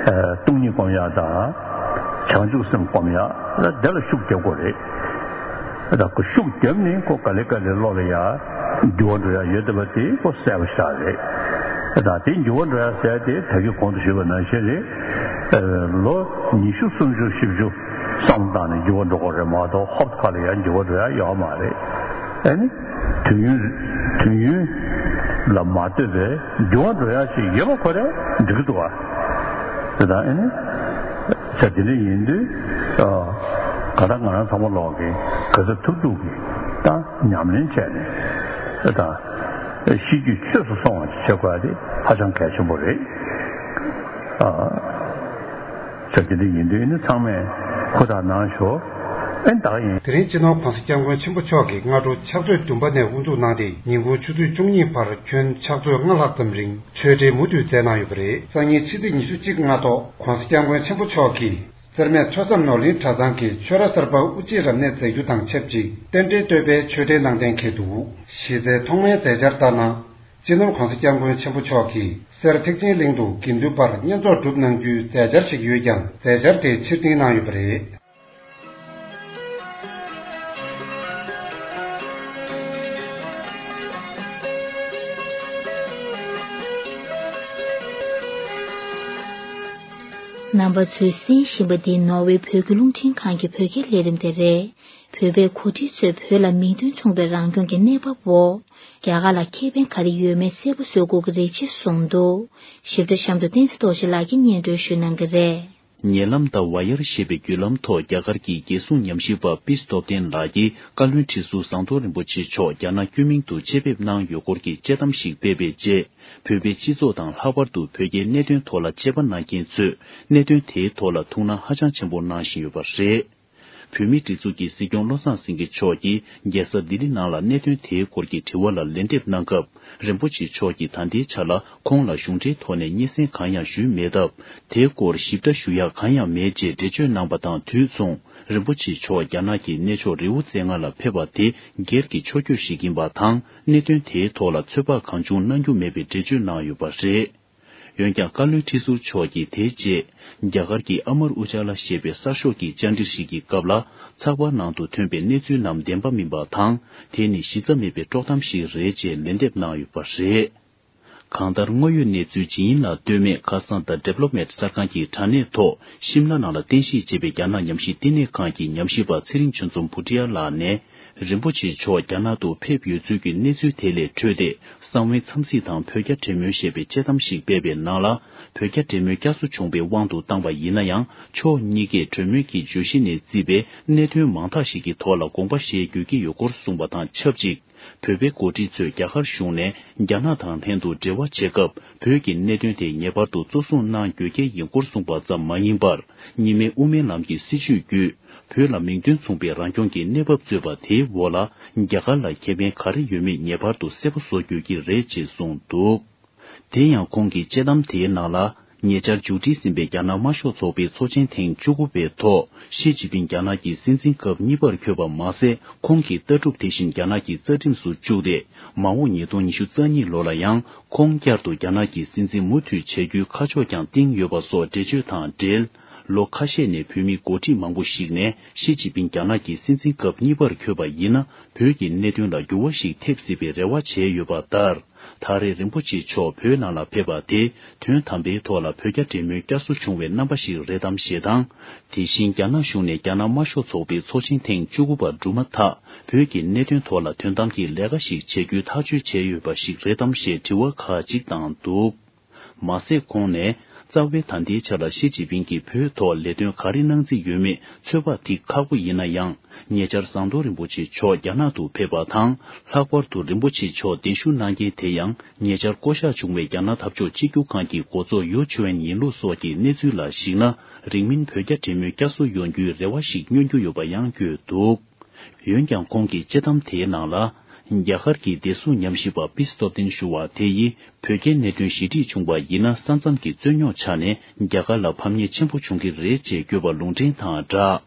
སྟོང་ཉིད་སྒོམ་ཡག་དང་བྱང་ཆུབ་སེམས་སྒོམ་ཡག་ལ་དེ་ལ་ཤུགས་རྒྱབ་དགོས་རེད། ད་ཁོ་ཤུགས་བརྒྱབ་ནས་ཁོ་ག་ལེ་ག་ལེ་བློ་ལ་ཡ་འགྱུར་བ་འགྲོ་ཡ་ཡོད་བསྡད་པ་དེ་ཁོ་གསལ་པོ་ཤར་རེད། ད་དེ་འགྱུར་བ་འགྲོ་ཡ་ཟེར་དེ་ད་གིན་གོང་དུ་ཞུས་པ་ནང་བཞིན་རེད། ལོ་ཉི་ཤུ་སུམ་ཅུ་བཞི་བཅུ་བསམ་བློ་བཏང་ནས་འགྱུར་བ་འགྲོ་དགོས་རེད་མ་གཏོགས་ཧོབ་ཁ་ལ་ཡ་འགྱུར་བ་འགྲོ་ཡ་ཡོད་མ་རེད། ཨ་ནི་དུས་ཡུན་དུས་ཡུན་ལ་མ་ལྟོས་པའི་འགྱུར་བ་འགྲོ་ཡ་ཞིག་ཡོད་པ་ཁོ་རེ་འགྲིག་གི་འདུག་བ། དེ་དང་ཨ་ནི། ཆ་དེ་འདྲ་ཡིན་དུས། ག་ད་ང་རང་ཚང་མ་ལོག་གི་ག་ཚོད་ཐུབ་ཐུབ་ཀྱི་ད་ཉམས་ལེན་བྱས་ནས་ད་ཤེས་རྒྱུད་ཆོས་སུ་སོང་བ་ཞིག་བྱེད་དགོས་ཡ་དེ་ཧ་ཅང་གལ་ཆེན་པོ་རེད། ཆ་དེ་འདྲ་ཡིན་དུས་ནི་ཚང་མས་ཧུར་ཐག་གནང་ཤོག་ཨེ་ད་ཡིན། དེ་རིང་སྤྱི་ནོར་༸གོང་ས་༸སྐྱབས་མགོན་ཆེན་པོ་མཆོག་གིས་སྔ་དྲོ་ཕྱག་ཚོད་བདུན་པ་ནས་དབུ་འཛུགས་གནང་སྟེ་ཉིན་གུང་ཆུ་ཚོད་བཅུ་གཉིས་བར་ཁྱོན་ཕྱག་ཚོད་ལྔ་ལྷག་ཙམ་རིང་ཆོས་འབྲེལ་མུ་མཐུད་མཛད་གནང་ཡོད་པ་རེད། སང་ཉིན་ཕྱི་ཚེས་ཉི་ཤུ་གཅིག་སྔ་ཐོག་༸གོང་ས་༸སྐྱབས་མགོན་ཆེན་པོ་མཆོག་གིས་སེར་སྨད་ཐོས་བསམ་ནོར་གླིང་གྲྭ་ཚང་གི་ཆོས་ར་གསར་པ་དབུ་འབྱེད་རབ་གནས་མཛད་རྒྱུ་དང་ཆབས་ཅིག་རྟེན་འབྲེལ་བསྟོད་པའི་ཆོས་འབྲེལ་གནང་གཏན་འཁེལ་འདུག་གཞི་རྩའི་ཐོག་མའི་མཛད་འཆར་ལྟར་ན། སྤྱི་ནོར་༸གོང་ས་༸སྐྱབས་མགོན་ཆེན་པོ་མཆོག་གིས་སེར་ཐེག་ཆེན་གླིང་དུ་དགེ་འདུན་པར་བསྙེན་རྫོགས་སྒྲུབ་གནང་རྒྱུའི་མཛད་འཆར་ཞིག་ཡོད་ཀྱང་མཛད་འཆར་དེ་ཕྱིར་འཐེན་གནང་ཡོད་པ་རེད། རྣམ་པ་ཚོས་གསན་བཞིན་པ་འདི་ནོར་ཝེ་བོད་ཀྱི་རླུང་འཕྲིན་ཁང་གི་བོད་སྐད་ལས་རིམ་དེ་རེད། བོད་པའི་འགོ་ཁྲིད་ཚོས་བོད་ལ་མིང་དོན་མཚུངས་པའི་རང་སྐྱོང་གི་གནས་བབ་འོག་རྒྱ་གར་ལ་ཁེ་ཕན་ག་རེ་ཡོད་མེད་གསལ་པོ་བཟོ་དགོས་ཀྱི་རེད་ཅེས་གསུངས་འདུག་ཞིབ་ཕྲ་གཤམ་དུ་བསྟན་འཛིན་རྡོ་རྗེ་ལགས་ཀྱིས་སྙན་སྒྲོན་ཞུ་གནང་གི་རེད། ཉེ་ལམ་ཟླ་བ་ཡར་ཞེས་པའི་བརྒྱུད་ལམ་ཐོག་རྒྱ་གར་གྱི་རྒྱལ་སྲུང་ཉམས་ཞིབ་པ་པི་སྟོབས་ལྡན་ལགས་ཀྱིས་བཀའ་བློན་ཁྲི་ཟུར་ཟམ་གདོང་རིན་པོ་ཆེ་མཆོག་རྒྱ་ནག་སྐྱོད་མིང་དུ་ཆེད་ཕེབས་གནང་ཡོད་སྐོར་གྱི་དཔྱད་གཏམ་ཞིག་སྤེལ་བའི་རྗེས། བོད་པའི་སྤྱི་ཚོགས་དང་ལྷག་པར་དུ་བོད་རྒྱའི་གནད་དོན་ཐོག་ལ་དཔྱད་པ་གནང་མཁན་ཚོས་གནད་དོན་དེའི་ཐོག་ལ་ཐུགས་སྣང་ཧ་ཅང་ཆེན་པོ་གནང་བཞིན་ཡོད་པ་རེད། བོད་མིའི་སྒྲིག་འཛུགས་ཀྱི་སྲིད་སྐྱོང་བློ་བཟང་སེང་གེ་མཆོག་གིས་རྒྱལ་ས་ལྡི་ལི་ནང་ལ་གནད་དོན་དེའི་སྐོར་གྱི་དྲི་བ་ལ་ལན་འདེབས་གནང་སྐབས། རིན་པོ་ཆེ་མཆོག་གིས་ད་ལྟའི་ཆ་ལ་ཁོང་ལ་གཞུང་འབྲེལ་ཐོག་ནས་སྙན་སེང་གང་ཡང་ཞུས་མེད་སྟབས། དེའི་སྐོར་ཞིབ་ཕྲ་ཞུ་ཡག་གང་ཡང་མེད་ཅེས་འགྲེལ་བརྗོད་གནང་པ་དང་དུས་མཚུངས། རིན་པོ་ཆེ་མཆོག་རྒྱ་ནག་གི་གནས་མཆོག་རི་བོ་རྩེ་ལྔ་ལ་ཕེབས་པ་དེ་སྒེར་གྱི་ཕྱོགས་བསྐྱོད་ཞིག་ཡིན་པ་དང་། གནད་དོན་དེའི་ཐོག་ལ་ཚོད་དཔག་གང་བྱུང་གནང་རྒྱུ་མེད་པའི་འགྲེལ་བརྗོད་གནང་ཡོད་པ་རེད། འོན་ཀྱང་། བཀའ་བློན་ཁྲི་ཟུར་མཆོག་གིས་དེའི་རྗེས། རྒྱ་གར་གྱི་ཨ་མར་ཨུ་ཇཱ་ལ་ཞེས་པའི་གསར་ཤོག་གི་བཅར་འདྲི་ཞིག་གི་སྐབས་ལ། ཚགས་པར་ནང་དུ་ཐོན་པའི་གནས་ཚུལ་རྣམས་བདེན་པ་མིན་པ་དང་། དེ་ནི་གཞི་རྩ་མེད་པའི་དཀྲོག་གཏམ་ཞིག་རེད་ཅེས་ལན་འདེབས་གནང་ཡོད་པ་རེད། གང་ལྟར། དངོས་ཡོད་གནས་ཚུལ་ཇི་ཡིན་ལ་ལྟོས་མེད། ཁ་སང་། The Diplomat གསར་ཁང་གི་དྲ་གནས་ཐོག་ཤིམ་ལ་ནང་ལ་རྟེན་གཞི་བྱས་པའི་རྒྱ་ནག་ཉམས་ཞིབ་བསྟི་གནས་ཁང་གི་ཉམས་ཞིབ་པ་ཚེ་རིང་ཆོས་འཛོམས་བྷུ་ཏི་ཡ་ལགས་ནས། རིན་པོ་ཆེ་མཆོག་རྒྱ་ནག་ཏུ་ཕེབས་ཡོད་ཚུལ་གྱི་གནས་ཚུལ་དེ་ལས་འཕྲོས་ཏེ། གསང་བའི་འཚམས་གཟིགས་དང་བོད་རྒྱ་འབྲེལ་མོལ་ཞེས་པའི་དཔྱད་གཏམ་ཞིག་སྤེལ་བའི་ནང་ལ། བོད་རྒྱ་འབྲེལ་མོལ་བསྐྱར་གསོ་བྱུང་བའི་དབང་དུ་བཏང་བ་ཡིན་ན་ཡང་། ཕྱོགས་གཉིས་ཀས་གྲོས་མོལ་གྱི་བརྗོད་གཞི་ནས་བརྩིས་པའི་གནད་དོན་མང་དག་ཞིག་གི་ཐོག་ལ་དགོངས་པ་བཞེས་དགོས་ཀྱི་ཡོད་སྐོར་གསུངས་པ་དང་ཆབས་ཅིག། བོད་པའི་འགོ་ཁྲིད་ཚོས་རྒྱ་གར་གཞུང་ནས་རྒྱ་ནག་དང་ལྷན་དུ་འབྲེལ་བ་བྱེད་སྐབས། བོད་ཀྱི་གནད་དོན་དེ་ངེས་པར་དུ་གཙོ་བཟུང་གནང་དགོས་གལ་ཡིན་སྐོར་གསུངས་པ་ཙམ་མ་ཡིན་པར། གཉིས་སྨན་དབུ་མའི་ལམ་གྱི་སྲིད་བྱུས་བརྒྱུད། བོད་ལ་མིང་དོན་མཚུངས་པའི་རང་སྐྱོང་གི་གནས་བབ་རྩོད་པ་དེའི་འོག་ལ། རྒྱ་གར་ལ་ཁེ་ཕན་ག་རེ་ཡོད་མེད་ངེས་པར་དུ་གསལ་པོ་བཟོ་དགོས་ཀྱི་རེད་ཅེས་གསུངས་འདུག་དེ་ཡང་། ཁོང་གི་དཔྱད་གཏམ་དེའི་ནང་ལ། ཉེ་ཆར་མཇུག་སྒྲིལ་ཟིན་པའི་རྒྱ་ནག་དམར་ཤོག་ཚོགས་པའི་ཚོགས་ཆེན་ཐེངས་བཅུ་དགུ་པའི་ཐོག་ཞི་ཅིན་ཕིང་རྒྱ་ནག་གི་སྲིད་འཛིན་སྐབས་གཉིས་པར་འཁོད་པ་མ་ཟད། ཁོང་གི་ལྟ་གྲུབ་དེ་བཞིན་རྒྱ་ནག་གི་རྩ་ཁྲིམས་སུ་བཅུག་སྟེ། མ་འོངས་ཉིས་སྟོང་ཉི་ཤུ་རྩ་གཉིས་ལོ་ལ་ཡང་ཁོང་བསྐྱར་དུ་རྒྱ་ནག་གི་སྲིད་འཛིན་མུ་མཐུད་བྱ་རྒྱུའི་ཁ་ཕྱོགས་ཀྱང་བཏིང་ཡོད་པ་སོགས་འགྲེལ་བརྗོད་དང་འབྲེལ། ལོ་ཁ་ཤས་ནས་བོད་མི་འགོ་ཁྲིད་མང་པོ་ཞིག་ནས་ཞི་ཅིན་ཕིང་རྒྱ་ནག་གི་སྲིད་འཛིན་སྐབས་གཉིས་པར་འཁོད་པ་ཡིན་ན། བོད་ཀྱི་གནད་དོན་ལ་འགྱུར་བ་ཞིག་ཐེབས་སྲིད་པའི་རེ་བ་བྱས་ཡོད་པ་ལྟར། ད་རེས་རིན་པོ་ཆེ་མཆོག་བོད་ནང་ལ་ཕེབས་པ་དེ། དོན་དམ་པའི་ཐོག་ལ་བོད་རྒྱ་འབྲེལ་མོལ་བསྐྱར་གསོ་བྱུང་བའི་རྣམ་པ་ཞིག་རེད་དམ་ཞེས་དང་། དེ་བཞིན་རྒྱ་ནག་གཞུང་ནས་རྒྱ་ནག་དམར་ཤོག་ཚོགས་པའི་ཚོགས་ཆེན་ཐེངས་བཅུ་དགུ་པ་གྲུབ་མ་ཐག་བོད་ཀྱི་གནད་དོན་ཐོག་ལ་དོན་དམ་གྱི་ལས་ཀ་ཞིག་བྱེད་རྒྱུའི་ཐག་གཅོད་བྱས་ཡོད་པ་ཞིག་རེད་དམ་ཞེས་དྲི་བ་ཁག་ཅིག་བཏང་འདུག་མ་ཟད། ཁོང་ནས། རྩ་བའི་ད་ལྟའི་ཆ་ལ་ཞི་ཅིན་ཕིང་གིས་བོད་ཐོག་ལས་དོན་ག་རེ་གནང་རྩིས་ཡོད་མེད་ཚོད་དཔག་ཐིག་ཁག་པོ་ཡིན་ན་ཡང་། ཉེ་ཆར་ཟམ་གདོང་རིན་པོ་ཆེ་མཆོག་རྒྱ་ནག་ཏུ་ཕེབས་པ་དང་། ལྷག་པར་དུ་རིན་པོ་ཆེ་མཆོག་གདན་ཞུ་གནང་མཁན་དེ་ཡང་། ཉེ་ཆར་བསྐོ་གཞག་བྱུང་བའི་རྒྱ་ནག་འཐབ་ཕྱོགས་གཅིག་གྱུར་ཁང་གི་འགོ་གཙོ་ཡོ་ཆུ་ཨན་ཡིན་ལུགས་སོགས་ཀྱི་གནས་ཚུལ་ལ་གཞིགས་ན། རིང་མིན་བོད་རྒྱ་འབྲེལ་མོལ་བསྐྱར་གསོ་ཡོང་རྒྱུའི་རེ་བ་ཞིག་སྙོན་རྒྱུ་ཡོད་པ་ཡང་བཀོད་འདུག་འོན་ཀྱང་། ཁོང་གི་དཔྱད་གཏམ་དེའི་ནང་ལ། རྒྱ་གར་གྱི་བདེ་སྲུང་ཉམས་ཞིབ་པ་པི་སྟོབས་ལྡན་ཞུ་བ་དེ་ཡིས། བོད་རྒྱའི་གནད་དོན་ཞི་འགྲིག་བྱུང་བ་ཡིན་ན། ས་མཚམས་ཀྱི་རྩོད་རྙོག་ཆགས་ནས་རྒྱ་གར་ལ་ཕམ་ཉེས་ཆེན་པོ་འབྱུང་གི་རེད་ཅེས་བཀོད་པ་ལུང་འདྲེན་དང་སྦྲགས།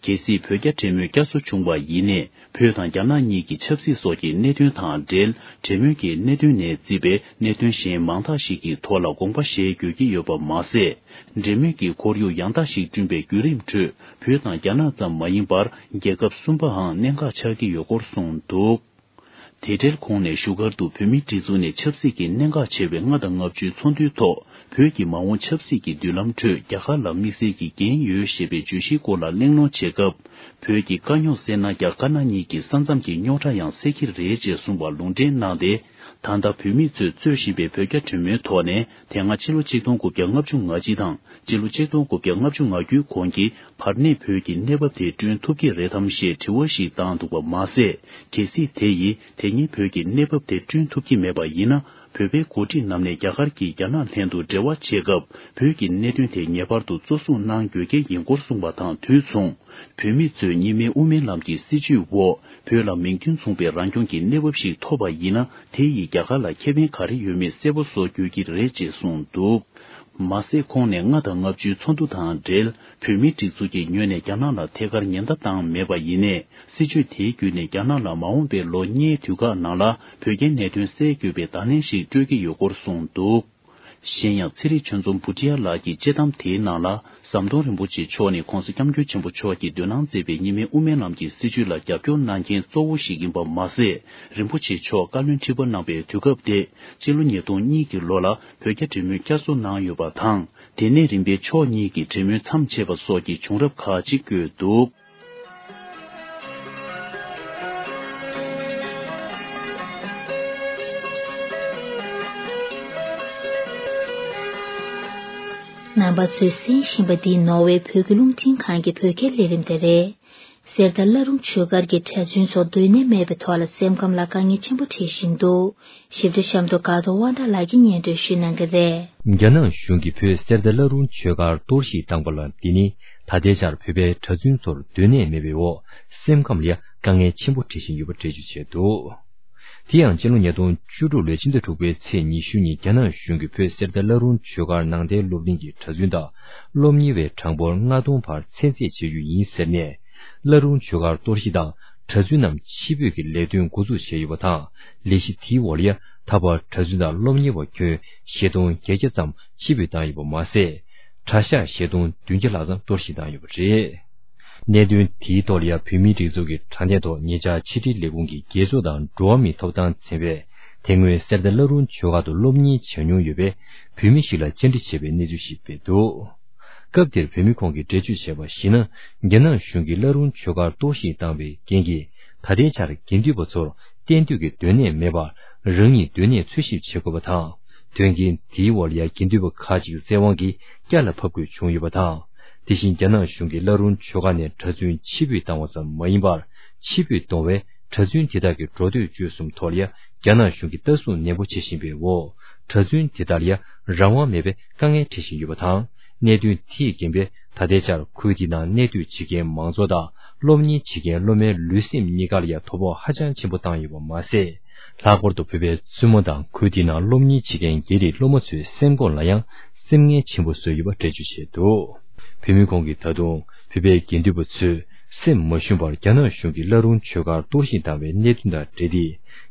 གལ་སྲིད་བོད་རྒྱ་འབྲེལ་མོལ་བསྐྱར་གསོ་བྱུང་བ་ཡིན་ནའི། བོད་དང་རྒྱ་ནག་གཉིས་ཀྱི་ཆབ་སྲིད་སོགས་ཀྱི་གནད་དོན་དང་འབྲེལ། འབྲེལ་མོལ་གྱི་གནད་དོན་ནས་བརྩིས་པའི་གནད་དོན་གཞན་མང་དག་ཞིག་གི་ཐོག་ལ་དགོངས་པ་བཞེས་དགོས་ཀྱི་ཡོད་པ་མ་ཟད། འབྲེལ་མོལ་གྱི་ཁོར་ཡུག་ཡང་དག་ཞིག་བསྐྲུན་པའི་བརྒྱུད་རིམ་ཁྲོད། བོད་དང་རྒྱ་ནག་ཙམ་མ་ཡིན་པར། རྒྱལ་ཁབ་གསུམ་པའང་གནད་འགག་ཆགས་ཀྱི་ཡོད་སྐོར་གསུངས་འདུག་དེ་འབྲེལ། ཁོང་ནས་བཞུགས་སྒར་དུ་བོད་མིའི་སྒྲིག་འཛུགས་ནས་ཆབ་སྲིད་ཀྱི་གནད་འགག་ཆེ་བའི་ལྔ་དང་ལྔ་བཅུའི་ཚོགས་འདུའི་ཐོག་བོད་ཀྱི་མ་འོངས་ཆབ་སྲིད་ཀྱི་མདུན་ལམ་ཁྲོད་རྒྱ་གར་ལ་དམིགས་བསལ་གྱི་འགན་ཡོད་ཞེས་པའི་བརྗོད་གཞིའི་སྐོར་ལ་གླེང་སློང་བྱེད་སྐབས། བོད་ཀྱི་དཀའ་རྙོག་སེལ་ན་རྒྱ་དཀར་ནག་གཉིས་ཀྱི་ས་མཚམས་ཀྱི་རྙོག་དྲ་ཡང་སེལ་གྱི་རེད་ཅེས་གསུངས་པ་ལུང་འདྲེན་གནང་སྟེ། ད་ལྟ་བོད་མི་ཚོས་རྩོད་བཞིན་པའི་བོད་རྒྱ་གྲོས་མོལ་ཐོག་ནས། དེ་སྔ་ཕྱི་ལོ་ཆིག་སྟོང་དགུ་བརྒྱ་ལྔ་བཅུ་ང་གཅིག་དང་། སྤྱི་ལོ་ཆིག་སྟོང་དགུ་བརྒྱ་ལྔ་བཅུ་ང་དགུའི་གོང་གི་བར་གནས་བོད་ཀྱི་གནས་བབ་དེ་བསྐྲུན་ཐུབ་ཀྱི་རེད་དམ་ཞེས་དྲི་བ་ཞིག་བཏང་འདུག་པ་མ་ཟད། གལ་སྲིད་དེ་ཡིས་དེ་སྔའི་བོད་ཀྱི་གནས་བབ་དེ་བསྐྲུན་ཐུབ་ཀྱི་མེད་པ་ཡིན་ན། བོད་པའི་འགོ་ཁྲིད་རྣམས་ནས་རྒྱ་གར་གྱིས་རྒྱ་ནག་ལྷན་དུ་འབྲེལ་བ་བྱེད་སྐབས། བོད་ཀྱི་གནད་དོན་དེ་ངེས་པར་དུ་གཙོ་བཟུང་གནང་དགོས་གལ་ཡིན་སྐོར་གསུངས་པ་དང་དུས་མཚུངས། བོད་མི་ཚོས་གཉིས་སྨན་དབུ་མའི་ལམ་གྱི་སྲིད་བྱུས་འོག་བོད་ལ་མིང་དོན་མཚུངས་པའི་རང་སྐྱོང་གི་གནས་བབ་ཞིག་ཐོབ་པ་ཡིན་ན། དེ་ཡིས་རྒྱ་གར་ལ་ཁེ་ཕན་ག་རེ་ཡོད་མེད་གསལ་པོ་བཟོ་དགོས་ཀྱི་རེད་ཅེས་གསུངས་འདུག་མ་ཟད། ཁོང་ནས་ལྔ་དང་ལྔ་བཅུའི་ཚོགས་འདུ་དང་འབྲེལ། བོད་མིའི་སྒྲིག་འཛུགས་ཀྱི་ངོས་ནས་རྒྱ་ནག་ལ་ཐད་ཀར་ཉེན་བརྡ་བཏང་མེད་པ་ཡིན་ནའི། སྲིད་བྱུས་དེའི་བརྒྱུད་ནས་རྒྱ་ནག་ལ་མ་འོངས་པའི་ལོ་ལྔའི་དུས་བཀག་ནང་ལ་བོད་རྒྱའི་གནད་དོན་སེལ་དགོས་པའི་བརྡ་ལན་ཞིག་སྤྲོད་ཀྱི་ཡོད་སྐོར་གསུངས་འདུག་གཞན་ཡང་། ཚེ་རིང་ཆོས་འཛོམས་བུ་ཏི་ཡ་ལགས་ཀྱིས་དཔྱད་གཏམ་དེའི་ནང་ལ། ཟམ་གདོང་རིན་པོ་ཆེ་མཆོག་ནི་༧གོང་ས་༧སྐྱབས་མགོན་ཆེན་པོ་མཆོག་གིས་དོ་སྣང་མཛད་པའི་གཉིས་སྨན་དབུ་མའི་ལམ་གྱི་སྲིད་བྱུས་ལ་རྒྱབ་སྐྱོར་གནང་མཁན་གཙོ་བོ་ཞིག་ཡིན་པ་མ་ཟད། རིན་པོ་ཆེ་མཆོག་བཀའ་བློན་ཁྲི་པ་གནང་པའི་དུས་སྐབས་དེ། སྤྱི་ལོ་ཉིས་སྟོང་གཉིས་ཀྱི་ལོ་ལ་བོད་རྒྱ་འབྲེལ་མོལ་བསྐྱར་གསོ་གནང་ཡོད་པ་དང་། དེ་ནས་རིམ་པས་ཕྱོགས་གཉིས་ཀྱི་འབྲེལ་མོལ་མཚམས་ཆད་པ་སོགས་ཀྱི་བྱུང་རབས་ཁག་ཅིག་བཀོད་འདུག། རྣམ་པ་ཚོས་གསན་བཞིན་པ་འདི་ནོར་ཝེ་བོད་ཀྱི་རླུང་འཕྲིན་ཁང་གི་བོད་སྐད་ལས་རིམ་དེ་རེད། གསེར་རྟ་བླ་རུང་ཆོས་སྒར་གྱི་གྲྭ་བཙུན་ཚོར་སྡོད་གནས་མེད་པའི་ཐོག་ལ་སེམས་ཁམས་ལ་དཀའ་ངལ་ཆེན་པོ་འཕྲད་བཞིན་འདུག། ཞིབ་ཕྲ་གཤམ་དུ་དགའ་གདོང་དབང་གྲགས་ལགས་ཀྱིས་སྙན་སྒྲོན་ཞུ་གནང་གི་རེད། རྒྱ་ནག་གཞུང་གིས་བོད་གསེར་རྟ་བླ་རུང་ཆོས་སྒར་གཏོར་བཤིག་བཏང་པ་ལ། འདི་ནི་ད་ལྟའི་ཆར་བོད་པའི་གྲྭ་བཙུན་ཚོར་སྡོད་གནས་མེད་པའི་འོག་སེམས་ཁམས་ལ་ཡང་དཀའ་ངལ་ཆེན་པོ་འཕྲད་བཞིན་ཡོད་པ་འགྲེལ་བརྗོད་བྱས་འདུག། དེ་ཡང་སྤྱི་ལོ་ཉིས་སྟོང་བཅུ་དྲུག་ལོའི་ཕྱི་ཟླ་དྲུག་པའི་ཚེས་ཉི་ཤུ་ཉིན་རྒྱ་ནག་གཞུང་གིས་བོད་གསེར་རྟ་བླ་རུང་ཆོས་སྒར་ནང་བསྟན་སློབ་གླིང་གི་གྲྭ་བཙུན་དང་སློབ་གཉེར་བའི་གྲངས་འབོར་ལྔ་སྟོང་བར་ཚད་འཛེག་བྱེད་རྒྱུ་ཡིན་ཟེར་ནས། བླ་རུང་ཆོས་སྒར་གཏོར་བཤིག་དང་གྲྭ་བཙུན་རྣམས་ཕྱིར་འབུད་ཀྱི་ལས་དོན་འགོ་འཛུགས་བྱས་ཡོད་པ་དང་། ལས་གཞི་དེའི་འོག་ལ་ཡང་ད་བར་གྲྭ་བཙུན་དང་སློབ་གཉེར་བ་ཁྱོན་བཞི་སྟོང་བརྒྱད་བརྒྱ་ཙམ་ཕྱིར་འབུད་བཏང་ཡོད་པ་མ་ཟད། གྲྭ་ཤག་བཞི་སྟོང་བདུན་བརྒྱ་ལྷག་ཙམ་གཏོར་བཤིག་བཏང་ཡོད་པ་རེད། གནད་དོན་དེའི་ཐོག་ལ་ཡང་བོད་མིའི་སྒྲིག་འཛུགས་ཀྱི་དྲ་གནས་ཐོག་ཉེ་ཆར་ཕྱི་དྲིལ་ལས་ཁུངས་ཀྱི་རྒྱལ་ཚོགས་དང་འགྲོ་བ་མིའི་ཐོབ་ཐང་ཚན་པས་དེ་སྔོན་གསེར་རྟ་བླ་རུང་ཆོས་སྒར་དུ་སློབ་གཉེར་བྱེད་མྱོང་ཡོད་པའི་བོད་མི་ཞིག་ལ་བཅར་འདྲི་བྱས་པའི་གནས་ཚུལ་ཞིག་སྤེལ་འདུག། སྐབས་དེར་བོད་མི་ཁོང་གིས་འགྲེལ་བརྗོད་བྱས་པར་གཞིགས་ན། རྒྱ་ནག་གཞུང་གིས་བླ་རུང་ཆོས་སྒར་གཏོར་བཤིག་བཏང་བའི་རྐྱེན་གྱིས། ད་ལྟའི་ཆར་དགེ་འདུན་པ་ཚོར་གཏན་སྡོད་ཀྱི་སྡོད་གནས་མེད་པར། རང་ཉིད་སྡོད་གནས་འཚོལ་ཞིབ་བྱེད་དགོས་པ་དང་། དོན་རྐྱེན་དེའི་འོག་ལ་ཡང་དགེ་འདུན་པ་ཁག་ཅིག་བཙན་དབང་གིས་བསྐྱར་ལ་ཕབ་དགོས་བྱུང་ཡོད་པ་དང་། དེ་བཞིན་རྒྱ་ནག་གཞུང་གིས་བླ་རུང་ཆོས་སྒར་ནས་གྲྭ་བཙུན་ཕྱིར་འབུད་བཏང་བ་ཙམ་མ་ཡིན་པར། ཕྱིར་འབུད་གཏོང་བའི་གྲྭ་བཙུན་དེ་དག་གི་འགྲོ་སྡོད་སྤྱོད་གསུམ་ཐོག་ལ་ཡང་རྒྱ་ནག་གཞུང་གིས་ལྟ་སྲུང་ནན་པོ་བྱེད་བཞིན་པའི་འོག་གྲྭ་བཙུན་དེ་དག་ལ་ཡང་རང་དབང་མེད་པའི་དཀའ་ངལ་འཕྲད་བཞིན་ཡོད་པ་དང་། གནད་དོན་དེས་རྐྱེན་པས་ད་ལྟའི་ཆར་ཁུལ་དེའི་ནང་གནས་སྡོད་བྱེད་མཁན་མང་ཚོགས་དང་སློབ་གཉེར་བྱེད་མཁན་སློབ་མའི་ལུས་སེམས་གཉིས་ཀ་ལ་ཡང་དོ་ཕོག་ཧ་ཅང་ཆེན་པོ་བཏང་ཡོད་པ་མ་ཟད། ལྷག་པར་དུ་བོད་པའི་བཙུན་མོ་དང་ཁུལ་དེའི་ནང་སློབ་གཉེར་བྱེད་མཁན་སྒེར་རིགས་སློབ་མ་ཚོའི་སེམས་ཁོང་ལ་ཡང་སེམས་ངལ་ཆེན་པོ་བཟོས་ཡོད་པ་འགྲེལ་བརྗོད་བྱས་འདུག། བོད་མི་ཁོང་གིས་ད་དུང་བོད་པའི་དགེ་འདུན་པ་ཚོས་སེམས་མ་ཞུམ་པར་རྒྱ་ནག་གཞུང་གིས་བླ་རུང་ཆོས་སྒར་གཏོར་བཤིག་བཏང་བའི་གནད་དོན་དང་འབྲེལ་ཏེ།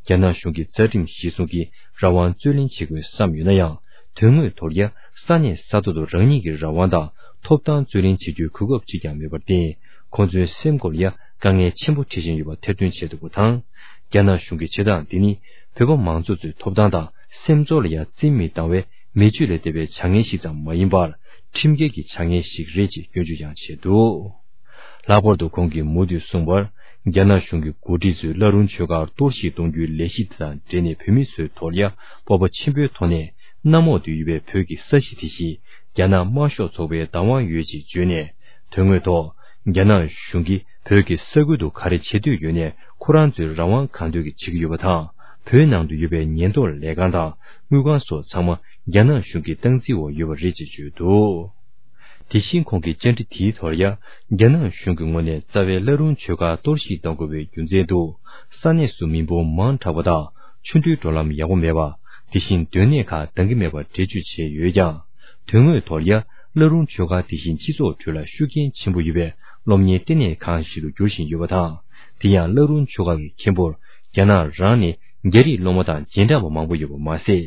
རྒྱ་ནག་གཞུང་གི་རྩ་ཁྲིམས་གཞིར་བཟུང་གིས་རང་དབང་རྩོད་ལེན་བྱེད་དགོས་བསམ་ཡོད་ན་ཡང་། དོན་དངོས་ཐོག་ལ་ཡང་ས་གནས་ས་ཐོག་ཏུ་རང་ཉིད་ཀྱི་རང་དབང་དང་ཐོབ་ཐང་རྩོད་ལེན་བྱེད་རྒྱུའི་གོ་སྐབས་གཅིག་ཀྱང་མེད་པར་བརྟེན། ཁོང་ཚོའི་སེམས་ཁོང་ལ་ཡང་དཀའ་ངལ་ཆེན་པོ་འཕྲད་བཞིན་ཡོད་པ་ཐེར་འདོན་བྱས་འདུག་པ་དང་། རྒྱ་ནག་གཞུང་གི་བྱེད་སྟངས་འདི་ནི་བོད་པ་མང་ཚོགས་ཚོའི་ཐོབ་ཐང་དང་སེམས་ཚོར་ལ་ཡང་རྩིས་མེད་བཏང་བའི་མི་ཆོས་ལས་འདས་པའི་བྱ་ངན་ཞིག་ཙམ་མ་ཡིན་པར། ཁྲིམས་འགལ་གྱི་བྱ་ངན་ཞིག་རེད་ཅེས་སྐྱོན་བརྗོད་ཀྱང་བྱས་འདུག། ལྷག་པར་དུ་ཁོང་གིས་མུ་མཐུད་གསུངས་པར། རྒྱ་ནག་གཞུང་གི་འགོ་ཁྲིད་ཚོས་བླ་རུང་ཆོས་སྒར་གཏོར་བཤིག་གཏོང་རྒྱུའི་ལས་གཞི་དེ་དང་འབྲེལ་ནས་བོད་མི་ཚོའི་ཐོག་ལ་ཡང་སྤོབས་པ་ཆེན་པོའི་ཐོག་ནས་གནམ་འོག་ཏུ་ཡོད་པའི་བོད་ཀྱི་ས་གཞི་དེ་བཞིན་རྒྱ་ནག་དམར་ཤོག་ཚོགས་པའི་བདག་དབང་ཡོད་ཅེས་བརྗོད་ནས། དོན་དངོས་ཐོག་རྒྱ་ནག་གཞུང་གིས་བོད་ཀྱི་ས་ཁུལ་དུ་ག་རེ་བྱེད་འདོད་ཡོད་ནའི་ཁོ་རང་ཚོའི་རང་དབང་གང་འདོད་ཀྱིས་བྱེད་ཀྱི་ཡོད་པ་དང་། བོད་ནང་དུ་ཡོད་པའི་ཉེན་རྟོག་ལས་ཁང་དང་དངུལ་ཁང་སོགས་ཚང་མ་རྒྱ་ནག་གཞུང་གི་སྟངས་འཛིན་འོག་ཡོད་པ་རེད་ཅེས་བརྗོད་འདུག། དེ་བཞིན་ཁོང་གིས་བཅར་འདྲི་དེའི་ཐོག་ལ་ཡང་རྒྱ་ནག་གཞུང་གི་ངོས་ནས་རྩ་བའི་བླ་རུང་ཆོས་སྒར་གཏོར་བཤིག་གཏོང་དགོས་པའི་རྒྱུ་མཚན་དུ། ས་གནས་སུ་མི་འབོར་མང་དྲགས་པ་དང་ཆུ་འགྲུལ་འགྲོ་ལམ་ཡག་པོ་མེད་པ། དེ་བཞིན་སྡོད་གནས་ཁག་འདང་གི་མེད་པ་འགྲེལ་བརྗོད་བྱས་ཡོད་ཀྱང་། དོན་དངོས་ཐོག་ལ་ཡང་བླ་རུང་ཆོས་སྒར་དེ་བཞིན་སྤྱི་ཚོགས་ཁྲོད་ལ་ཤུགས་རྐྱེན་ཆེན་པོ་ཡོད་པའི་སློབ་གཉེར་ལྟེ་གནས་ཁང་ཞིག་ཏུ་འགྱུར་བཞིན་ཡོད་པ་དང་། དེ་ཡང་བླ་རུང་ཆོས་སྒར་གྱི་མཁན་པོར་རྒྱ་ནག་རང་ནས་རྒྱ་རིགས་སློབ་མ་དང་རྗེས་འབྲང་པ་མང་པོ་ཡོད་པ་མ་ཟད།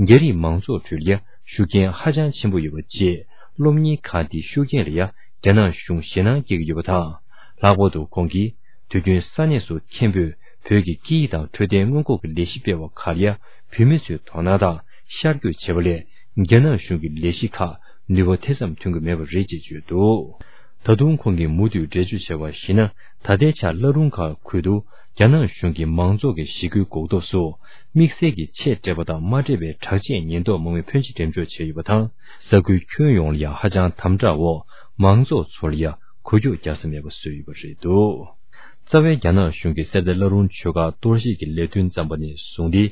རྒྱ་རིགས་མང་ཚོགས་ཁྲོད་ལ་ཡང་ཤུགས་རྐྱེན་ཧ་ཅང་ཆེན་པོ་ཡོད་པ་བཅས། སློབ་གཉེར་ཁང་དེའི་ཤུགས་རྐྱེན་ལ་ཡང་རྒྱ་ནག་གཞུང་ཞེད་སྣང་སྐྱེ་གི་ཡོད་པ་དང་། ལྷག་པར་དུ་ཁོང་གིས། དུས་རྒྱུན་ས་གནས་སུ་མཁན་པོས་བོད་ཀྱི་སྐད་ཡིག་དང་འཕྲོད་བསྟེན་སྔོན་འགོག་གི་ལས་གཞི་སྤེལ་བ་ཁག་ལ་ཡང་བོད་མི་ཚོའི་དོ་སྣང་དང་ཤར་བསྐྱོད་བྱས་པ་ལས་རྒྱ་ནག་གཞུང་གི་ལས་གཞི་ཁག་ནུས་པ་དེ་ཙམ་ཐོན་གྱི་མེད་པ་རེད་ཅེས་བརྗོད་འདུག། ད་དུང་ཁོང་གིས་མུ་མཐུད་འགྲེལ་བརྗོད་བྱས་པར་གཞིགས་ན། ད་ལྟའི་ཆར་བླ་རུང་སྒར་ཁུལ་དུ་རྒྱ་ནག་གཞུང་གིས་མང་ཚོགས་ཀྱི་ཞི་རྒོལ་འགོག་ཐབས་སུ་དམིགས་བསལ་གྱི་ཆེད་སྤྲད་པ་དང་མ་སྤྲད་པའི་དྲག་ཆས་ཉེན་རྟོག་དམག་མི་ཕོན་ཆེ་འགྲེམས་འཇོག་བྱས་ཡོད་པ་དང་། ས་ཁུལ་ཁྱོན་ཡོངས་ལ་ཡང་ཧ་ཅང་དམ་དྲག་འོག་མང་ཚོགས་ཚོར་ཡང་འགུལ་སྐྱོད་རྒྱག་ས་མེད་པ་བཟོས་ཡོད་པ་རེད་འདུག། རྩ་བའི་རྒྱ་ནག་གཞུང་གིས་གསེར་རྟ་བླ་རུང་ཆོས་སྒར་གཏོར་བཤིག་གི་ལས་དོན་བརྩམས་པ་ནས་བཟུང་སྟེ།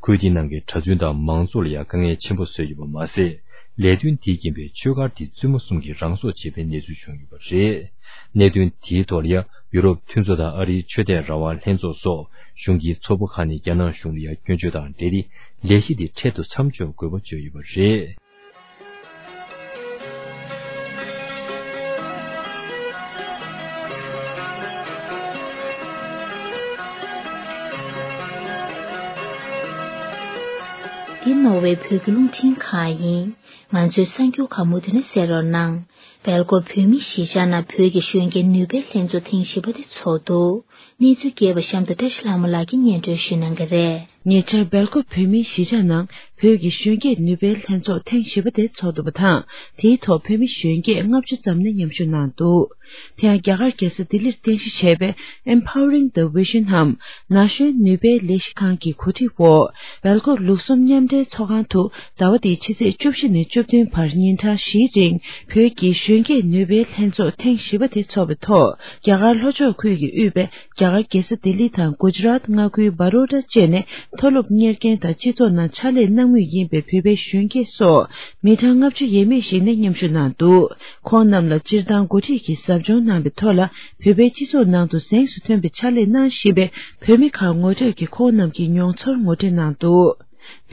ཁུལ་དེའི་ནང་གི་གྲྭ་བཙུན་དང་མང་ཚོགས་ལ་ཡང་དཀའ་ངལ་ཆེན་པོ་བཟོས་ཡོད་པ་མ་ཟད། ལས་དོན་དེའི་རྐྱེན་པས་ཆོས་སྒར་དེའི་བཙུན་མོ་གསུམ་གྱིས་རང་སྲོག་བཅད་པའི་གནས་ཚུལ་བྱུང་ཡོད་པ་རེད། གནད་དོན་དེའི་ཐོག་ལ་ཡང་ཡུ་རོབ་མཐུན་ཚོགས་དང་ཨ་རིའི་ཆོས་དད་རང་དབང་ལྷན་ཚོགས་སོགས་གཞུང་གི་ཚོགས་པ་ཁག་ནས་རྒྱ་ནག་གཞུང་ལ་ཡང་སྐྱོན་བརྗོད་དང་འབྲེལ་ཏེ་ལས་གཞི་དེ་འཕྲལ་དུ་མཚམས་འཇོག་དགོས་པ་བརྗོད་ཡོད་པ་རེད། འདི་ནོར་ཝེ་བོད་ཀྱི་རླུང་འཕྲིན་ཁང་ཡིན། ང་ཚོའི་གསར་འགྱུར་ཁག་མུ་མཐུད་ནས་གསན་རོགས་གནང་། སྦེལ་ཀོབ་བོད་མི་གཞིས་ཆགས་ནང་བོད་ཀྱི་གཞོན་སྐྱེས་ནུས་པའི་ལྷན་ཚོགས་ཐེངས་བཞི་པ་དེ་ཚོགས་འདུག་གནས་ཚུལ་རྒྱས་པ་གཤམ་དུ་བཀྲ་ཤིས་ལྷ་མོ་ལགས་ཀྱིས་སྙན་སྒྲོན་ཞུ་གནང་གི་རེད། ཉེ་ཆར་སྦེལ་ཀོབ་བོད་མིའི་གཞིས་ཆགས་ནང་བོད་ཀྱི་གཞོན་སྐྱེས་ནུས་པའི་ལྷན་ཚོགས་ཐེངས་བཞི་པ་དེ་ཚོགས་འདུག་པ་དང་། དེའི་ཐོག་བོད་མི་གཞོན་སྐྱེས་ལྔ་བཅུ་ཙམ་ནས་མཉམ་ཞུགས་གནང་འདུག་དེ་ཡང་རྒྱ་གར་རྒྱལ་ས་ལྡི་ལིར་རྟེན་གཞི་བྱས་པའི་Empowering the Vision འམ་ན་གཞོན་ནུས་པའི་ལས་གཞི་ཁང་གི་གོ་སྒྲིག་འོག་སྦེལ་ཀོབ་ལུགས་གསུམ་མཉམ་འབྲེལ་ཚོགས་ཁང་དུ་ཟླ་བ་འདིའི་ཕྱི་ཚེས་བཅུ་བཞི་ནས་བཅུ་བདུན་བར་ཉིན་གྲངས་བཞིའི་རིང་བོད་ཀྱི་གཞོན་སྐྱེས་ནུས་པའི་ལྷན་ཚོགས་ཐེངས་བཞི་པ་དེ་འཚོགས་པའི་ཐོག་རྒྱ་གར་ལྷོ་ཕྱོགས་ཁུལ་གྱིས་དབུས་པའི་རྒྱ་གར་རྒྱལ་ས་ལྡི་ལི་དང་གུ་ཇི་རཱཏ་མངའ་ཁུལ་བ་རོ་ཌ་བཅས་ནས་མཐོ་སློབ་གཉེར་མཁན་དང་སྤྱི་ཚོགས་ནང་ཕྱག་ལས་གནང་མུས་ཡིན་པའི་བོད་པའི་གཞོན་སྐྱེས་སོགས་མི་གྲངས་ལྔ་བཅུ་ཡས་མས་ཤིག་ནས་མཉམ་ཞུགས་གནང་འདུག་ཁོང་རྣམས་ལ་སྤྱིར་བཏང་འགོ་ཁྲིད་ཀྱིས་ཟབ་སྦྱོང་གནང་བའི་ཐོག་ལ་བོད་པའི་སྤྱི་ཚོགས་ནང་དུ་གཟེངས་སུ་ཐོན་པའི་ཕྱག་ལས་གནང་བཞིན་པའི་བོད་མི་ཁག་ངོ་སྤྲོད་ཀྱིས་ཁོང་རྣམས་ཀྱི་མྱོང་ཚོར་ངོ་སྤྲོད་གནང་འདུག་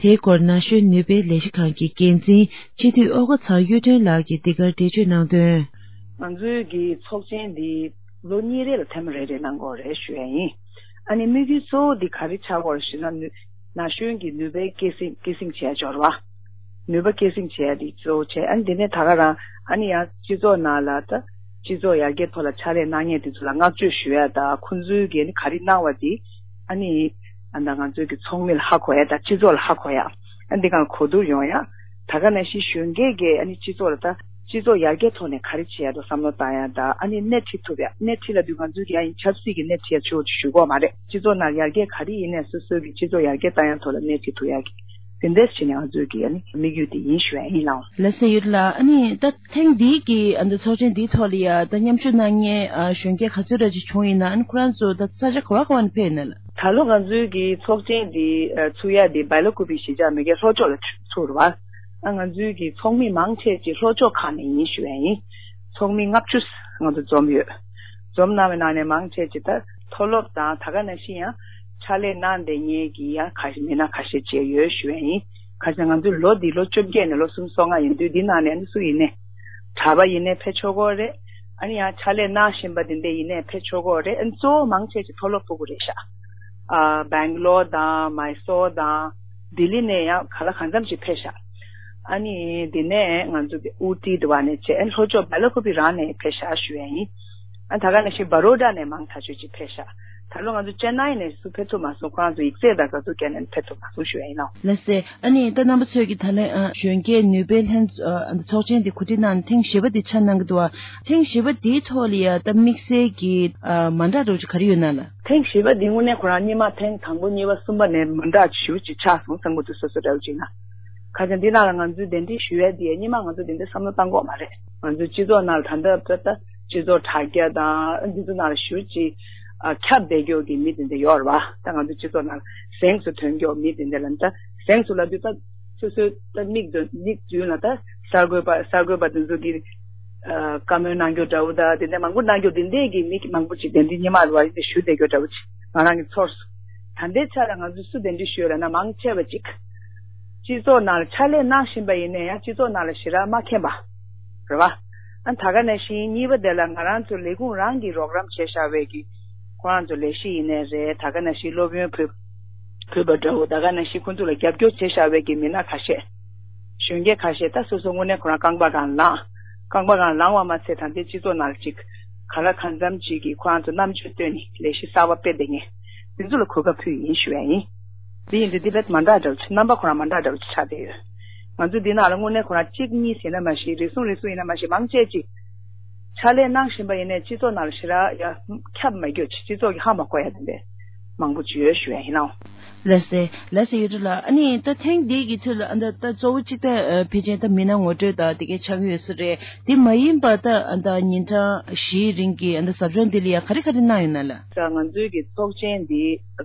དེའི་སྐོར་ན་གཞོན་ནུས་པའི་ལས་གཞི་ཁང་གི་འགན་འཛིན་སྤྱི་འཐུས་ཨོ་ཀོ་ཚང་གཡུ་སྒྲོན་ལགས་ཀྱིས་འདི་གར་འགྲེལ་བརྗོད་གནང་དོན། ང་ཚོའི་གི་ཚོགས་ཆེན་འདི་ལོ་གཉིས་རེ་ལ་ཐེངས་མ་རེ་རེ་གནང་དགོས་རེད་ཞུ་ཡ་ཡིན། ཨ་ནི་དམིགས་ཡུལ་གཙོ་བོ་འདི་ག་རེ་ཆགས་ཀྱི་ཡོད་རེད་ཞུས་ན། ན་གཞོན་གྱི་ནུས་པའི་སྐྱེད་སྲིང་སྐྱེད་སྲིང་བྱས་འབྱོར་བ། ནུས་པ་སྐྱེད་སྲིང་བྱས་ཏེ་གཙོ་བོ་བྱས། ཨ་ནི་དེ་ནས་ད་ག་རང་ཨ་ནི་ཡང་སྤྱི་ཚོགས་ནང་ལ་ད་སྤྱི་ཚོགས་ཡར་རྒྱས་ཐོག་ལ་ཕྱག་ལས་གནང་མཁན་དེ་ཚོ་ལ་བསྔགས་བརྗོད་ཞུ་ཡ་དང་། ཁོང་ཚོའི་གིས་ནི་ག་རེ་གནང་བ་དེ་ཨ་ནི་ཨ་ད་ང་ཚོའི་གི་ཚོགས་མི་ལ་ཧ་གོ་ཡ་དང་སྤྱི་ཚོགས་ལ་ཧ་གོ་ཡ། ཨ་འདི་གང་གོ་བསྡུར་ཡོང་ཡ། ད་ག་ནང་བཞིན་གཞོན་སྐྱེས་ཀྱིས་ཨ་ནི་སྤྱི་ཚོགས་ལ་ད་སྤྱི་ཚོགས་ཡར་རྒྱས་ཐོག་ནས་ག་རེ་བྱེད་ཡ་དང་བསམ་བློ་བཏང་ཡ་དང་། ཨ་ནི་སྣེ་ཁྲིད་ཐུབ་ཡ། སྣེ་ཁྲིད་ལབ་དུས་ང་ཚོའི་གི་ཡ་ཡིན་ཆབ་སྲིད་ཀྱི་སྣེ་ཁྲིད་ཡ་ཆུ་བོ་ཆུ་ཞུ་གོ་མ་རེད། སྤྱི་ཚོགས་ནང་ཡར་རྒྱས་ག་རེ་ཡིན་ནས་སོ་སོའི་གི་སྤྱི་ཚོགས་ཡར་རྒྱས་བཏང་ཡ་ཐོག་ལ་སྣེ་ཁྲིད་ཐུབ་ཡ་གི། དེ་འདྲས་བྱས་ནས་ང་ཚོའི་གི་ཨ་ནི་དམིགས་ཡུལ་དེ་ཡིན་ཞུ་ཡ་ཡིན་ལགས། ལགས་སོ་ཡོད་ལ། ཨ་ནི་ད་ཐེངས་འདིའི་གི་ཨ་ནི་ཚོགས་ཆེན་འདིའི་ཐོག་ལ་ཡ་ད་མཉམ་ཞུགས་གནང་མཁན་ཨ་གཞོན་སྐྱེས་ག་ཚོད་ར་ཅིག་བྱུང་ཡིན་ན། ཨ་ནི་ཁོ་རང་ཚོ་ད་ས་ཆ་ག་བ་ག་བ་ནས་ཕེབས་ཡིན་ན་ལགས། ད་ལོ་ང་ཚོའི་གི་ཚོགས་ཆེན་འདི་ཨ་ཚུགས་ཡ་འདི་སྦེལ་ཀོབ་གཞིས་ཆགས་མ་གི་ལྷོ་ཕྱོགས་ལ་ཚུགས་རེད་བ། ཨ་ང་ཚོའི་གི་ཚོགས་མི་མང་ཆེ་ཅིག་ལྷོ་ཕྱོགས་ཁག་ནས་ཡིན་ཞུ་ཡ་ཡིན། ཚོགས་མི་ལྔ་བཅུ་ང་ཚོ་འཛོམས་ཡོད། འཛོམས་གནང་བའི་ནང་ནས་མང་ཆེ་ཅིག་ད་མཐོ་སློབ་དང་ད་ག་ནང་བཞིན་ཡང་ཕྱག་ལས་གནང་བསྡད་མཁན་གྱི་ཡང་ཁ་ཤས་མི་སྣ་ཁ་ཤས་ཅིག་ཡོད་ཞུ་ཡ་ཡིན། ག་ཅི་ང་ཚོའི་ལོ་འདི་ལོ་བཅོ་བརྒྱད་ནས་ལོ་སུམ་ཅུ་སོ་ལྔ་ཡིན་དུས་འདི་ནང་ནས་ནི་སུ་ཡིན་ནའི། གྲྭ་པ་ཡིན་ནའི་ཕེབས་ཆོག་གི་རེད། ཨ་ནི་ཡང་ཕྱག་ལས་གནང་བཞིན་པ་འདི་འདྲ་ཡིན་ནའི་ཕེབས་ཆོག་གི་རེད། ཨ་ནི་གཙོ་བོ་མང་ཆེ་ཅིག་མཐོ་སློབ་ཕྲུ་གུ་རེད་ཤག་ཨ་སྦེང་ལོར་དང་མའི་སོར་དང་ལྡི་ལི་ནས་ཡང་ག་ལ་གང་འཚམ་ཅིག་ཕེབས་ཤག་ཨ་ནི་འདི་ནས་ང་ཚོ་གི་ཨུ་ཏི་དུ་བ་ནས་བྱས། ཨ་ནི་ལྷོ་ཕྱོགས་སྦེལ་ཀོབ་རང་ནས་ཕེབས་ཤག་ཞུ་ཡ་ཡིན། ཨ་ད་ག་ནང་བཞིན་བ་རོ་ཌ་ནས་མང་ཐག་ཆོད་ཅིག་ཕེབས་ཤག་ད་ལོ་ང་ཚོ་ཅེན་ནའི་ནས་སུ་ཕེབས་ཐུབ་མ་སོང་། ཁོ་རང་ཚོ་ཡིག་ཚད་དང་ག་ཚོད་བཀལ་ནས་ཕེབས་ཐུབ་མ་སོང་ཞུ་ཡ་ཡིན་ནོ། ལགས་སེ། ཨ་ནི་ད་རྣམ་པ་ཚོས་ཀྱི་ད་ལན་ཨ་གཞོན་སྐྱེས་ནུས་པའི་ལྷན་ཨ་ཚོགས་ཆེན་དེ་གོ་སྒྲིག་གནང་ནས་ཐེངས་བཞི་པ་དེ་ཆགས་གནང་གི་འདུག་བ། ཐེངས་བཞི་པ་དེའི་ཐོག་ལ་ཡ་ད་དམིགས་བསལ་གྱི་ཨ་མ་འདྲ་འདྲ་བོ་ཅིག་ག་རེ་ཡོད་ན་ལགས། ཐེངས་བཞི་པ་འདི་དངོས་གནས་ཁོ་རང་སྔོན་མ་ཐེངས་དང་པོ་གཉིས་པ་གསུམ་པ་ནས་མ་འདྲ་ཞེ་པོ་ཅིག་ཆགས་སོང་། ས་ངོ་དུ་སོ་སོ་འདྲ་བོ་ཅིག་ན། ཁ་ཅིག་འདི་ནང་ལ་ང་ཚོས་གདན་འདྲེན་ཞུ་ཡས་འདི་སྔོན་མ་ང་ཚོ་དེ་འདྲ་བསམ་བློ་བཏང་གི་ཡོད་མ་རེད། ང་ཚོའི་སྤྱི་ཚོགས་ནང་ལ་ད་ལྟ་ད་ལྟ་སྤྱི་ཚོགས་དྲ་རྒྱ་དང་འདི་ཚོ་ནང་ལ་ཞེ་པོ་ཅིག་ཨ་ཁྱབ་བསྡད་མཁན་གྱི་མི་དེ་འདྲ་ཡོད་རེད་བ། ད་ང་ཚོའི་སྤྱི་ཚོགས་ནང་ལ་གཟེངས་སུ་ཐོན་མཁན་མི་དེ་འདྲ་ལ་ད་གཟེངས་སུ་ལབ་དུས་ད་སོ་སོའི་ད་མིག་མདུན་མིག་མདུན་ལ་ད་གསར་འགོད་པ་གསར་འགོད་པ་དེ་ཚོ་གི་ཨ་བཀའ་མོལ་གནང་རྒྱུ་འདྲ་བོ་དང་དེ་འདྲ་མང་པོ་གནང་རྒྱུ་དེ་འདྲས་ཀྱི་མི་མང་པོ་ཅིག་གདན་འདྲེན་སྔོན་མ་ལ་བ་ཞུ་བསྡད་རྒྱུ་འདྲ་བོ་ཅིག་ང་རང་གི་ཚོར་སོང་། ད་ལྟའི་ཆ་ལ་ང་ཚོས་སུ་གདན་འདྲེན་ཞུས་ཡོད་ལབ་ན་མང་ཆེ་བ་ཅིག་སྤྱི་ཚོགས་ནང་ལ་ཕྱག་ལས་གནང་བཞིན་པ་ཡིན་ན་ཡང་སྤྱི་ཚོགས་ནང་ལ་ཞེ་དྲག་མ་མཁྱེན་པ་རེད་བ། ཨ་ད་ག་ནང་བཞིན་གཉིས་པ་དེ་ལ་ང་རང་ཚོ་ལས་ཁུངས་རང་གིས་རོགས་རམ་བྱས་བཞག་པའི་གི་ཁོ་རང་ཚོ་ལས་གཞི་ཡིན་ནའི་རེད། ད་ག་ནང་བཞིན་སློབ་ཡོན་ཕུལ་ཕུལ་བ་འདྲ་བོ། ད་ག་ནང་བཞིན་ཁོ་ཚོ་ལ་རྒྱབ་སྐྱོར་བྱས་བཞག་པའི་གི་མི་སྣ་ཁ་ཤས། གཞོན་སྐྱེས་ཁ་ཤས་ད་སོ་སོ་དངོས་གནས་ཁོ་རང་རྐང་པ་སྒང་ལངས། རྐང་པ་སྒང་ལངས་པ་མ་ཚད་ད་ལྟའི་སྤྱི་ཚོགས་ནང་ལ་ཅིག་ག་ལ་གང་འཚམ་ཅིག་གིས་ཁོ་རང་ཚོ་རྣམ་དཔྱོད་བཏོན་ནས་ལས་གཞི་གསར་པ་སྤེལ་བསྡད་མཁན་དེ་ཚོ་ལ་གོ་སྐབས་ཕུལ་ཡིན་ཞུ་ཡ་ཡིན། དེ་ཡིན་དུས་དེ་དཔེ་མ་འདྲ་འདྲ་བོ་ཅིག་རྣམ་པ་ཁོ་རང་མ་འདྲ་འདྲ་བོ་ཅིག་ཆགས་བསྡད་ཡོད། ང་ཚོ་འདི་ནང་ལ་དངོས་གནས་ཁོ་རང་གཅིག་གཉིས་ཟེར་ན་མ་གཞི་རེ་ཟུང་རེ་ཟུང་ཡིན་ན་མ་གཞི་མང་ཆེ་ཅིག་ཕྱག་ལས་གནང་བཞིན་པ་ཡིན་ནའི་སྤྱི་ཚོགས་ནང་ལ་ཞེ་དྲག་ཡ་ཁྱབ་མ་གྱུར་ཅིག་སྤྱི་ཚོགས་ཀྱིས་ཧ་མ་གོ་ཡ་དེ་འདྲས་མང་པོ་ཅིག་ཡོད་ཞུ་ཡ་ཡིན་ནོ། ལགས་སེ། ལགས་སེ་ཡོད་རེད་ལ། ཨ་ནི་ད་ཐེངས་འདི་གི་ཚུལ་ལ་ཨ་ད་ད་གཙོ་བོ་གཅིག་ད་ཨ་ཕལ་ཆེར་ད་མི་སྣ་ངོ་སྤྲོད་དང་དེ་གའི་ཆགས་ཡོད་ས་རེད། དེ་མ་ཡིན་པ་ད་ཨ་ད་ཉིན་གྲངས་བཞིའི་རིང་གི་ཨ་ད་ཟབ་སྦྱོང་འདི་ལ་ཡ་ག་རེ་ག་རེ་གནང་ཡོད་ན་ལ། ད་ང་ཚོའི་གི་ཚོགས་ཆེན་འདི་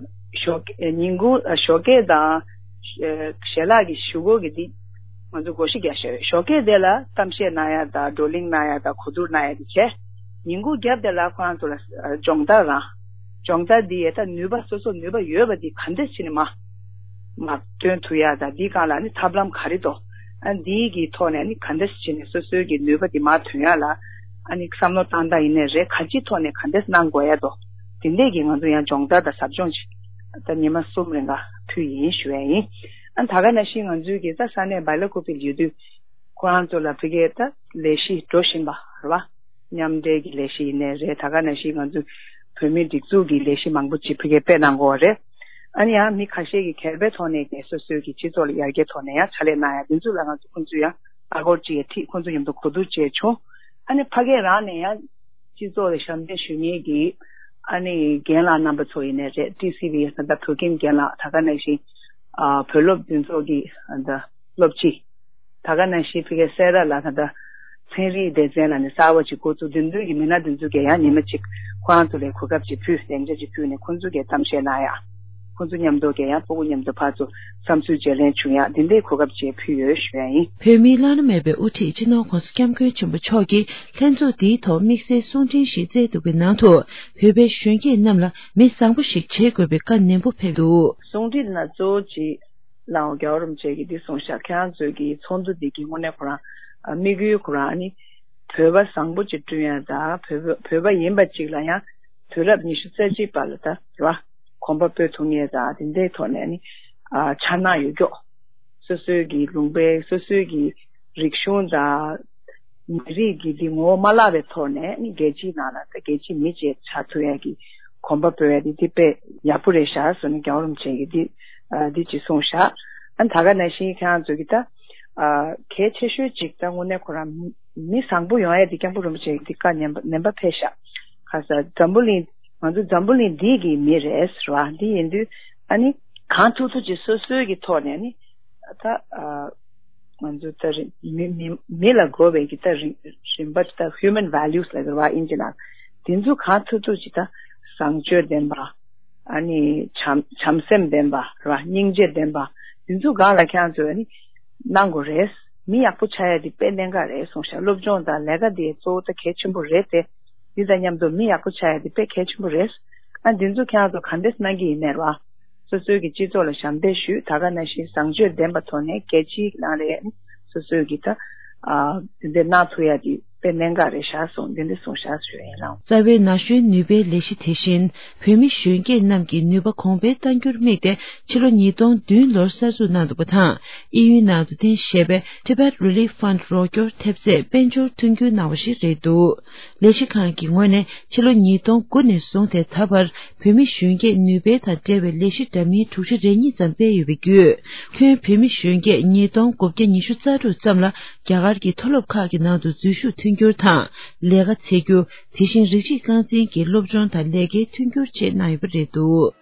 ཞོགས་ཉིན་གུང་ཞོགས་ཀས་དང་ཞལ་ལག་གི་ཞུ་སྒོ་གི་འདི་ང་ཚོ་བགོ་བཤའ་རྒྱག་བཞག་ཡོད། ཞོགས་ཀས་དེ་ལ་གཏམ་བཤད་གནང་ཡ་དང་བགྲོ་གླེང་གནང་ཡ་དང་གོ་བསྡུར་གནང་ཡ་དེ་བྱས། ཉིན་གུང་རྒྱབ་དེ་ལ་ཁོ་རང་ཚོ་ལ་སྦྱོང་བརྡར་རང་། སྦྱོང་བརྡར་འདི་ཡས་ད་ནུས་པ་སོ་སོ་ནུས་པ་ཡོད་པ་འདི་ག་འདྲས་བྱས་ནས་མ་མ་ཐོན་ཐུབ་ཡ་དང་འདིའི་སྒང་ལ་ནི་ཐབས་ལམ་ག་རེ་འདུག་ཨ་འདིའི་གི་ཐོག་ནས་ནི་ག་འདྲས་བྱས་ནས་སོ་སོའི་གི་ནུས་པ་འདི་མ་ཐོན་ཡ་ལ་ཨ་ནི་བསམ་བློ་བཏང་སྟངས་ཡིན་ནའི་རེད། ག་ཅིའི་ཐོག་ནས་ག་འདྲས་གནང་དགོས་ཡ་འདུག་དེ་འདྲས་ཀྱི་ང་ཚོ་ཡང་སྦྱོང་བརྡར་དང་ཟབ་སྦྱོང་ཅིག་ད་ཉི་མ་གསུམ་རིང་ག་ཕུལ་ཡིན་ཞུ་ཡ་ཡིན། ཨ་ད་ག་ནང་བཞིན་ང་ཚོའི་གི་ད་ས་གནས་སྦེ་ལ་ཀུ་པེ་ལ་ཡོད་དུས་ཁོ་རང་ཚོ་ལ་ཕ་གིའི་ད་ལས་གཞི་འགྲོ་བཞིན་པ་རེད་བ། མཉམ་འབྲེལ་གྱི་ལས་གཞི་ཡིན་ནའི་རེད། ད་ག་ནང་བཞིན་ང་ཚོའི་བོད་མིའི་སྒྲིག་འཛུགས་ཀྱི་ལས་གཞི་མང་པོ་ཅིག་ཕ་གིར་སྤེལ་གནང་གི་ཡོད་རེད། ཨ་ནི་ཡང་མི་ཁ་ཤས་ཀྱིས་སྒེར་པའི་ཐོག་ནས་ཀྱང་སོ་སོའི་གི་སྤྱི་ཚོགས་ལ་ཡར་རྒྱས་ཐོག་ནས་ཡང་ཕྱག་ལས་གནང་ཡ་དེ་ཚོ་ལ་ང་ཚོ་ཁོང་ཚོ་ཡང་ཨ་སྒོར་གཅིག་ཡང་ཁྲིད། ཁོང་ཚོ་མཉམ་དུ་གོ་བསྡུར་བྱས་བྱུང་། ཨ་ནི་ཕ་གིར་རང་ནས་ཡང་སྤྱི་ཚོགས་ལ་ཞབས་འདེགས་ཞུ་མཁན་གྱི་ཨ་ནི་རྒན་ལགས་རྣམ་པ་ཚོ་ཡིན་ནའི་རེད། ཊི་སི་ཝི་ཨེས་ད་ལྟ་བོད་ཁྱིམ་རྒན་ལགས། ད་ག་ནང་བཞིན་ཨ་བོད་སློབ་འདི་ཚོ་གི་ཨ་ད་སློབ་སྤྱི། ད་ག་ནང་བཞིན་ཕ་གིའི་སེ་ར་ལ་ད་ལྟ་ཚན་རིག་སྡེ་ཚན་ལ་ནི་གསར་པ་ཅིག་འགོ་བཙུགས། དེ་འདྲ་གི་མི་སྣ་དེ་ཚོ་གིས་ཡང་ཉི་མ་གཅིག་ཁོ་རང་ཚོ་ལ་གོ་སྐབས་ཅིག་ཕུལ། སྡིངས་ཆ་ཅིག་ཕུལ་ནས་ཁོང་ཚོ་གིས་གཏམ་བཤད་གནང་ཡ། ཁོང་ཚོ་མཉམ་དུ་གིས་ཡང་ཕྲུ་གུ་མཉམ་དུ་ཕར་ཚུར་བསམ་ཚུལ་བརྗེ་ལེན་བྱུང་ཡ་དེ་འདྲའི་གོ་སྐབས་ཅིག་ཕུལ་ཡོད་ཞུ་ཡ་ཡིན། བོད་མིའི་བླ་ན་མེད་པའི་དབུ་ཁྲིད་སྤྱི་ནོར་༸གོང་ས་༸སྐྱབས་མགོན་ཆེན་པོ་མཆོག་གིས་ལྷན་ཚོགས་འདིའི་ཐོག་དམིགས་བསལ་གསུང་འཕྲིན་ཞིག་བསྩལ་འདུག་པའི་ནང་དུ། བོད་པའི་གཞོན་སྐྱེས་རྣམས་ལ་མི་བཟང་པོ་ཞིག་བྱེད་དགོས་པའི་བཀའ་ནན་པོ་ཕེབས་འདུག། གསུང་འཕྲིན་ནང་གཙོ་བོ་ཅིག་ལའང་རྒྱལ་བ་རིན་པོ་ཆེ་གིས་འདི་གསུངས་ཤག། ཁྱེད་རང་ཚོའི་གི་ཚོགས་འདུ་འདི་གི་དངོས་གནས་ཁོ་རང་ཨ་དམིགས་ཡུལ་ཁོ་རང་ཨ་ནི་བོད་པ་བཟང་པོ་ཅིག་བསྐྲུན་ཡ་དང་། བོད་པ་བོད་པ་ཡིན་པ་ཅིག་ལ་ཡང་དུས་རབས་ཉི་ཤུ་རྩ་གཅིག་པ་ལ་ད་རེད་བ། གོམ་པ་སྤོས་ཐུབ་མཁན་དང་དེ་འདྲའི་ཐོག་ནས་ནི་ཨ་འཆར་སྣང་ཡོད་མཁན། སོ་སོའི་གི་ལུང་པའི་སོ་སོའི་གི་རིག་གཞུང་དང་མི་རིགས་ཀྱི་འདི་ངོ་བོ་མ་བརླག་པའི་ཐོག་ནས་ནི་རྒྱལ་སྤྱིའི་ནང་ལ་ད་རྒྱལ་སྤྱིའི་མི་ཅིག་ཆགས་ཐུབ་ཡ་གི་གོམ་པ་སྤོས་ཡ་དེ་དེ་དཔེ་ཡག་པོ་རེད་ཤག་ཟེར་ནས་རྒྱལ་བ་རིན་པོ་ཆེ་གིས་འདི་ཨ་འདི་ཅིག་གསུངས་ཤག། ཨ་ད་ག་ནང་བཞིན་ཁྱེད་རང་ཚོ་གི་ད་ཨ་གལ་ཆེ་ཤོས་ཅིག་ད་དངོས་གནས་ཁོ་རང་མི་མི་བཟང་པོ་ཡོང་ཡ་དེ་སྐྱབས་མགོན་རིན་པོ་ཆེ་གིས་འདི་བཀའ་ནན་པ་ནན་པ་ཕེབས་ཤག། ཁ་ས་འཛམ་བུ་གླིང་ང་ཚོ་འཛམ་བུ་གླིང་འདི་གི་མི་རེད་ཟེར་བ་འདི་ཡིན་དུས་ཨ་ནི་གང་ཐུབ་ཐུབ་ཅིག་སོ་སོའི་གི་ཐོག་ནས་ནི་ད་ཨ་ང་ཚོ་ད་རིང་མི་མི་མི་ལ་དགོས་པའི་གི་ད་རིང་རིམ་པ་ད་human values་ལ་ཟེར་བ་ཨིན་ཇི་ནང་དེ་ཚོ་གང་ཐུབ་ཐུབ་ཅིག་ད་བཟང་སྤྱོད་ལྡན་པ། ཨ་ནི་བྱམས་བྱམས་སེམས་ལྡན་པ་རེད་བ། སྙིང་རྗེ་ལྡན་པ། འདི་ཚོ་སྒང་ལ་ཁྱེད་རང་ཚོས་ཨ་ནི་གནང་དགོས་རེད། མི་ཡག་པོ་ཆགས་ཡ་དེ་དཔེ་གནད་འགག་རེད་གསུངས་ཤག། སློབ་སྦྱོང་དང་ལས་ཀ་དེ་གཙོ་བོ་ད་གལ་ཆེན་པོ་རེད་དེ། འདི་དང་མཉམ་དུ་མི་ཡག་པོ་ཆགས་ཡ་དེ་དཔེ་གལ་ཆེན་པོ་རེད། ཨ་འདི་ཚོ་ཁྱེད་རང་ཚོ་ག་འདྲས་གནང་གི་ཡིན་ནའི་རེད་བ། སོ་སོའི་གི་སྤྱི་ཚོགས་ལ་ཞབས་འདེགས་ཞུས། ད་ག་ནང་བཞིན་བཟང་སྤྱོད་ལྡན་པ་ཐོག་ནས་རྒྱལ་སྤྱིའི་ནང་ལ་ཡ་ནི་སོ་སོའི་གི་ད་ཨ་དེ་འདྲས་གནང་ཐུབ་ཡ་དེ་དཔེ་གནད་འགག་རེད་ཤག་གསུངས། འདི་འདྲས་གསུངས་ཤག་ཞུ་ཡ་ཡིན་ལགས། རྩ་བའི་ན་གཞོན་ནུས་པའི་ལས་གཞི་དེ་བཞིན་བོད་མི་གཞོན་སྐྱེས་རྣམས་ཀྱི་ནུས་པ་གོང་འཕེལ་གཏང་རྒྱུར་དམིགས་ཏེ་ཕྱི་ལོ་ཉིས་སྟོང་བདུན་ལོར་གསར་འཛུགས་གནང་འདུག་པ་དང་། དབྱིན་ཡུལ་ནང་དུ་རྟེན་གཞི་བྱས་པའི་Tibet Relief Fund་རོགས་སྐྱོར་ཐེབས་རྩས་དཔལ་འབྱོར་མཐུན་འགྱུར་གནང་བ་ཞིག་རེད་འདུག། ལས་གཞི་ཁང་གི་ངོས་ནས་ཕྱི་ལོ་ཉིས་སྟོང་དགུ་ནས་བཟུང་སྟེ་ད་བར་བོད་མི་གཞོན་སྐྱེས་ནུས་སྤེལ་དང་འབྲེལ་བའི་ལས་གཞི་འདྲ་མིན་དྲུག་ཅུ་རེ་གཉིས་ཙམ་སྤེལ་ཡོད་པའི་བརྒྱུད། ཁྱོན་བོད་མི་གཞོན་སྐྱེས་ཉིས་སྟོང་དགུ་བརྒྱ་ཉི་ཤུ་རྩ་དྲུག་ཙམ་ལ་རྒྱ་གར་གྱི་མཐོ་སློབ་ཁག་གི་ནང་དུ་འཛུལ་ཞུགས་མཐུན་འགྱུར་དང་། ལས་ཀ་འཚོལ་རྒྱུ། དེ་བཞིན་རིགས་གཅིག་རྐང་འཛིན་གྱི་སློབ་སྦྱོང་དང་ལས་ཀའི་མཐུན་འགྱུར་བཅས་གནང་ཡོད་པ་རེད་འདུག།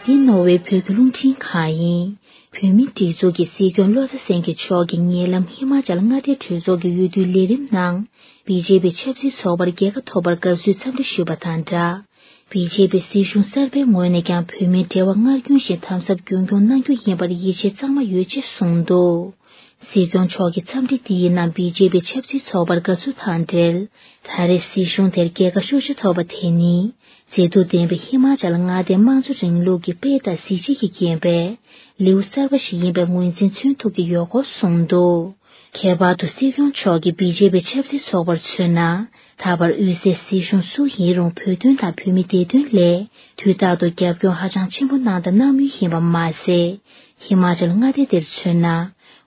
འདི་ནོར་ཝེ་བོད་ཀྱི་རླུང་འཕྲིན་ཁང་ཡིན། བོད་མིའི་སྒྲིག་འཛུགས་ཀྱི་སྲིད་སྐྱོང་བློ་བཟང་སེང་གེ་མཆོག་གིས་ཉེ་ལམ་ཧི་མ་ཅལ་མངའ་སྡེའི་གྲོས་ཚོགས་ཀྱི་འོས་བསྡུའི་ལས་རིམ་ནང་། བི་ཇེ་པི་ཆབ་སྲིད་ཚོགས་པར་རྒྱལ་ཁ་ཐོབ་པར་དགའ་བསུའི་འཚམས་འདྲི་ཞུས་པ་དང་སྦྲགས། བི་ཇེ་པི་སྲིད་གཞུང་གསར་པའི་ངོས་ནས་ཀྱང་བོད་མིའི་འབྲེལ་བ་སྔར་རྒྱུན་བཞིན་དམ་ཟབ་རྒྱུན་འཁྱོངས་གནང་རྒྱུ་ཡིན་པར་ཡིད་ཆེས་གཙང་མ་ཡོད་ཅེས་གསུངས་འདུག། སྲིད་སྐྱོང་མཆོག་གིས་འཚམས་འདྲི་འདིའི་ནང་བི་ཇེ་པི་ཆབ་སྲིད་ཚོགས་པར་དགའ་བསུ་དང་འབྲེལ། ད་རེས་སྲིད་གཞུང་དེར་རྒྱལ་ཁ་ཤུགས་ཆེ་ཐོབ་པ་དེ་ནི། མཛེས་སྡུག་ལྡན་པའི་ཧི་མ་ཅལ་མངའ་སྡེའི་དམངས་གཙོ་རིང་ལུགས་ཀྱི་དཔལ་དང་གཟི་བརྗིད་ཀྱིས་བརྒྱན་པའི་ལེའུ་གསར་པ་ཞིག་ཡིན་པའི་ངོས་འཛིན་མཚོན་ཐུབ་ཀྱི་ཡོད་སྐོར་གསུངས་འདུག། ཁྱད་པར་དུ་སྲིད་སྐྱོང་མཆོག་གིས་བི་ཇེ་པི་ཆབ་སྲིད་ཚོགས་པར་མཚོན་ན། ད་བར་དབུས་སའི་སྲིད་གཞུང་སུ་ཡིན་རུང་བོད་དོན་དང་བོད་མིའི་བདེ་དོན་སླད་དུས་རྟག་ཏུ་རྒྱབ་སྐྱོར་ཧ་ཅང་ཆེན་པོ་གནང་དང་གནང་མུས་ཡིན་པ་མ་ཟད། ཧི་མ་ཅལ་མངའ་སྡེ་འདིར་མཚོན་ན།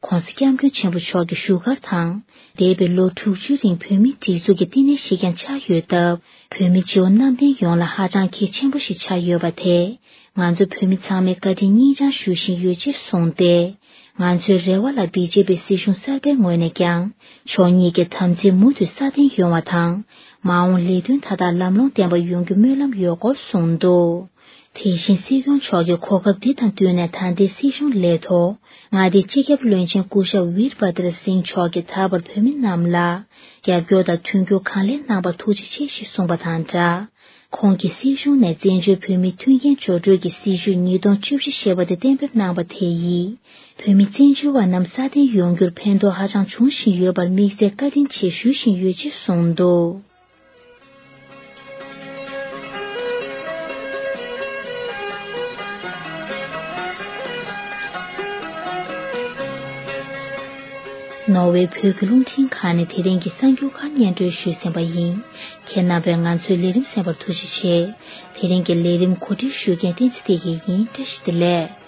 ྋགོང་ས་ྋསྐྱབས་མགོན་ཆེན་པོ་མཆོག་གི་བཞུགས་སྒར་དང་། འདས་པའི་ལོ་དྲུག་ཅུའི་རིང་བོད་མིའི་སྒྲིག་འཛུགས་ཀྱི་བསྟི་གནས་ཤིག་ཀྱང་ཆགས་ཡོད་སྟབས། བོད་མི་སྤྱི་བོ་གནམ་བསྟན་ཡོངས་ལ་ཧ་ཅང་གལ་ཆེན་པོ་ཞིག་ཆགས་ཡོད་པ་དེས། ང་ཚོ་བོད་མི་ཚང་མས་བཀའ་དྲིན་སྙིང་བཅངས་ཞུ་བཞིན་ཡོད་ཅེས་གསུངས་ཏེ། ང་ཚོའི་རེ་བ་ལ་བི་ཇེ་པི་སྲིད་གཞུང་གསར་པའི་ངོས་ནས་ཀྱང་ཕྱོགས་གཉིས་ཀྱི་དམ་ཚིག་མུ་མཐུད་སྲ་བརྟན་ཡོང་བ་དང་། མ་འོངས་ལས་དོན་མཐའ་དག་ལམ་ལྷོང་ལྡན་པ་ཡོང་རྒྱུ་སྨོན་ལམ་ཡོད་སྐོར་གསུངས་འདུག། དེ་བཞིན་སྲིད་སྐྱོང་མཆོག་གིས་གོ་སྐབས་འདི་དང་བསྟུན་ནས་ད་ལྟའི་སྲིད་གཞུང་ལས་ཐོག་མངའ་སྡེའི་སྤྱི་ཁྱབ་བློན་ཆེན་སྐུ་ཞབས་ཝིར་བྷ་དར་སིང་མཆོག་གིས་ད་བར་བོད་མི་རྣམས་ལ་རྒྱབ་སྐྱོར་དང་མཐུན་འགྱུར་གང་ལེགས་གནང་བར་ཐུགས་རྗེ་ཆེ་ཞེས་གསུངས་པ་དང་སྦྲགས། ཁོང་གིས་སྲིད་གཞུང་ནས་བཙན་བྱོལ་བོད་མིའི་མཐུན་རྐྱེན་སྦྱོར་སྤྲོད་ཀྱི་སྲིད་བྱུས་ཉིས་སྟོང་བཅུ་བཞི་ཞེས་པ་དེ་གཏན་འབེབས་གནང་བ་དེ་ཡིས་བོད་མི་བཙན་བྱོལ་བ་རྣམས་སྲ་བརྟན་ཡོང་རྒྱུར་ཕན་ཐོགས་ཧ་ཅང་འབྱུང་བཞིན་ཡོད་པར་དམིགས་བསལ་བཀའ་དྲིན་ཆེ་ཞུ་བཞིན་ཡོད་ཅེས་གསུངས་འདུག། ནོར་ཝེ་བོད་ཀྱི་རླུང་འཕྲིན་ཁང་ནས་དེ་རིང་གི་གསར་འགྱུར་ཁག་སྙན་སྒྲོན་ཞུས་ཟིན་པ་ཡིན། ཁྱེད་རྣམ་པས་ང་ཚོའི་ལས་རིམ་གསན་པར་ཐུགས་རྗེ་ཆེ། དེ་རིང་གི་ལས་རིམ་གོ་སྒྲིག་ཞུ་མཁན་བསྟན་འཛིན་བདེ་སྐྱིད་ཡིན། བཀྲ་ཤིས་བདེ་ལེགས།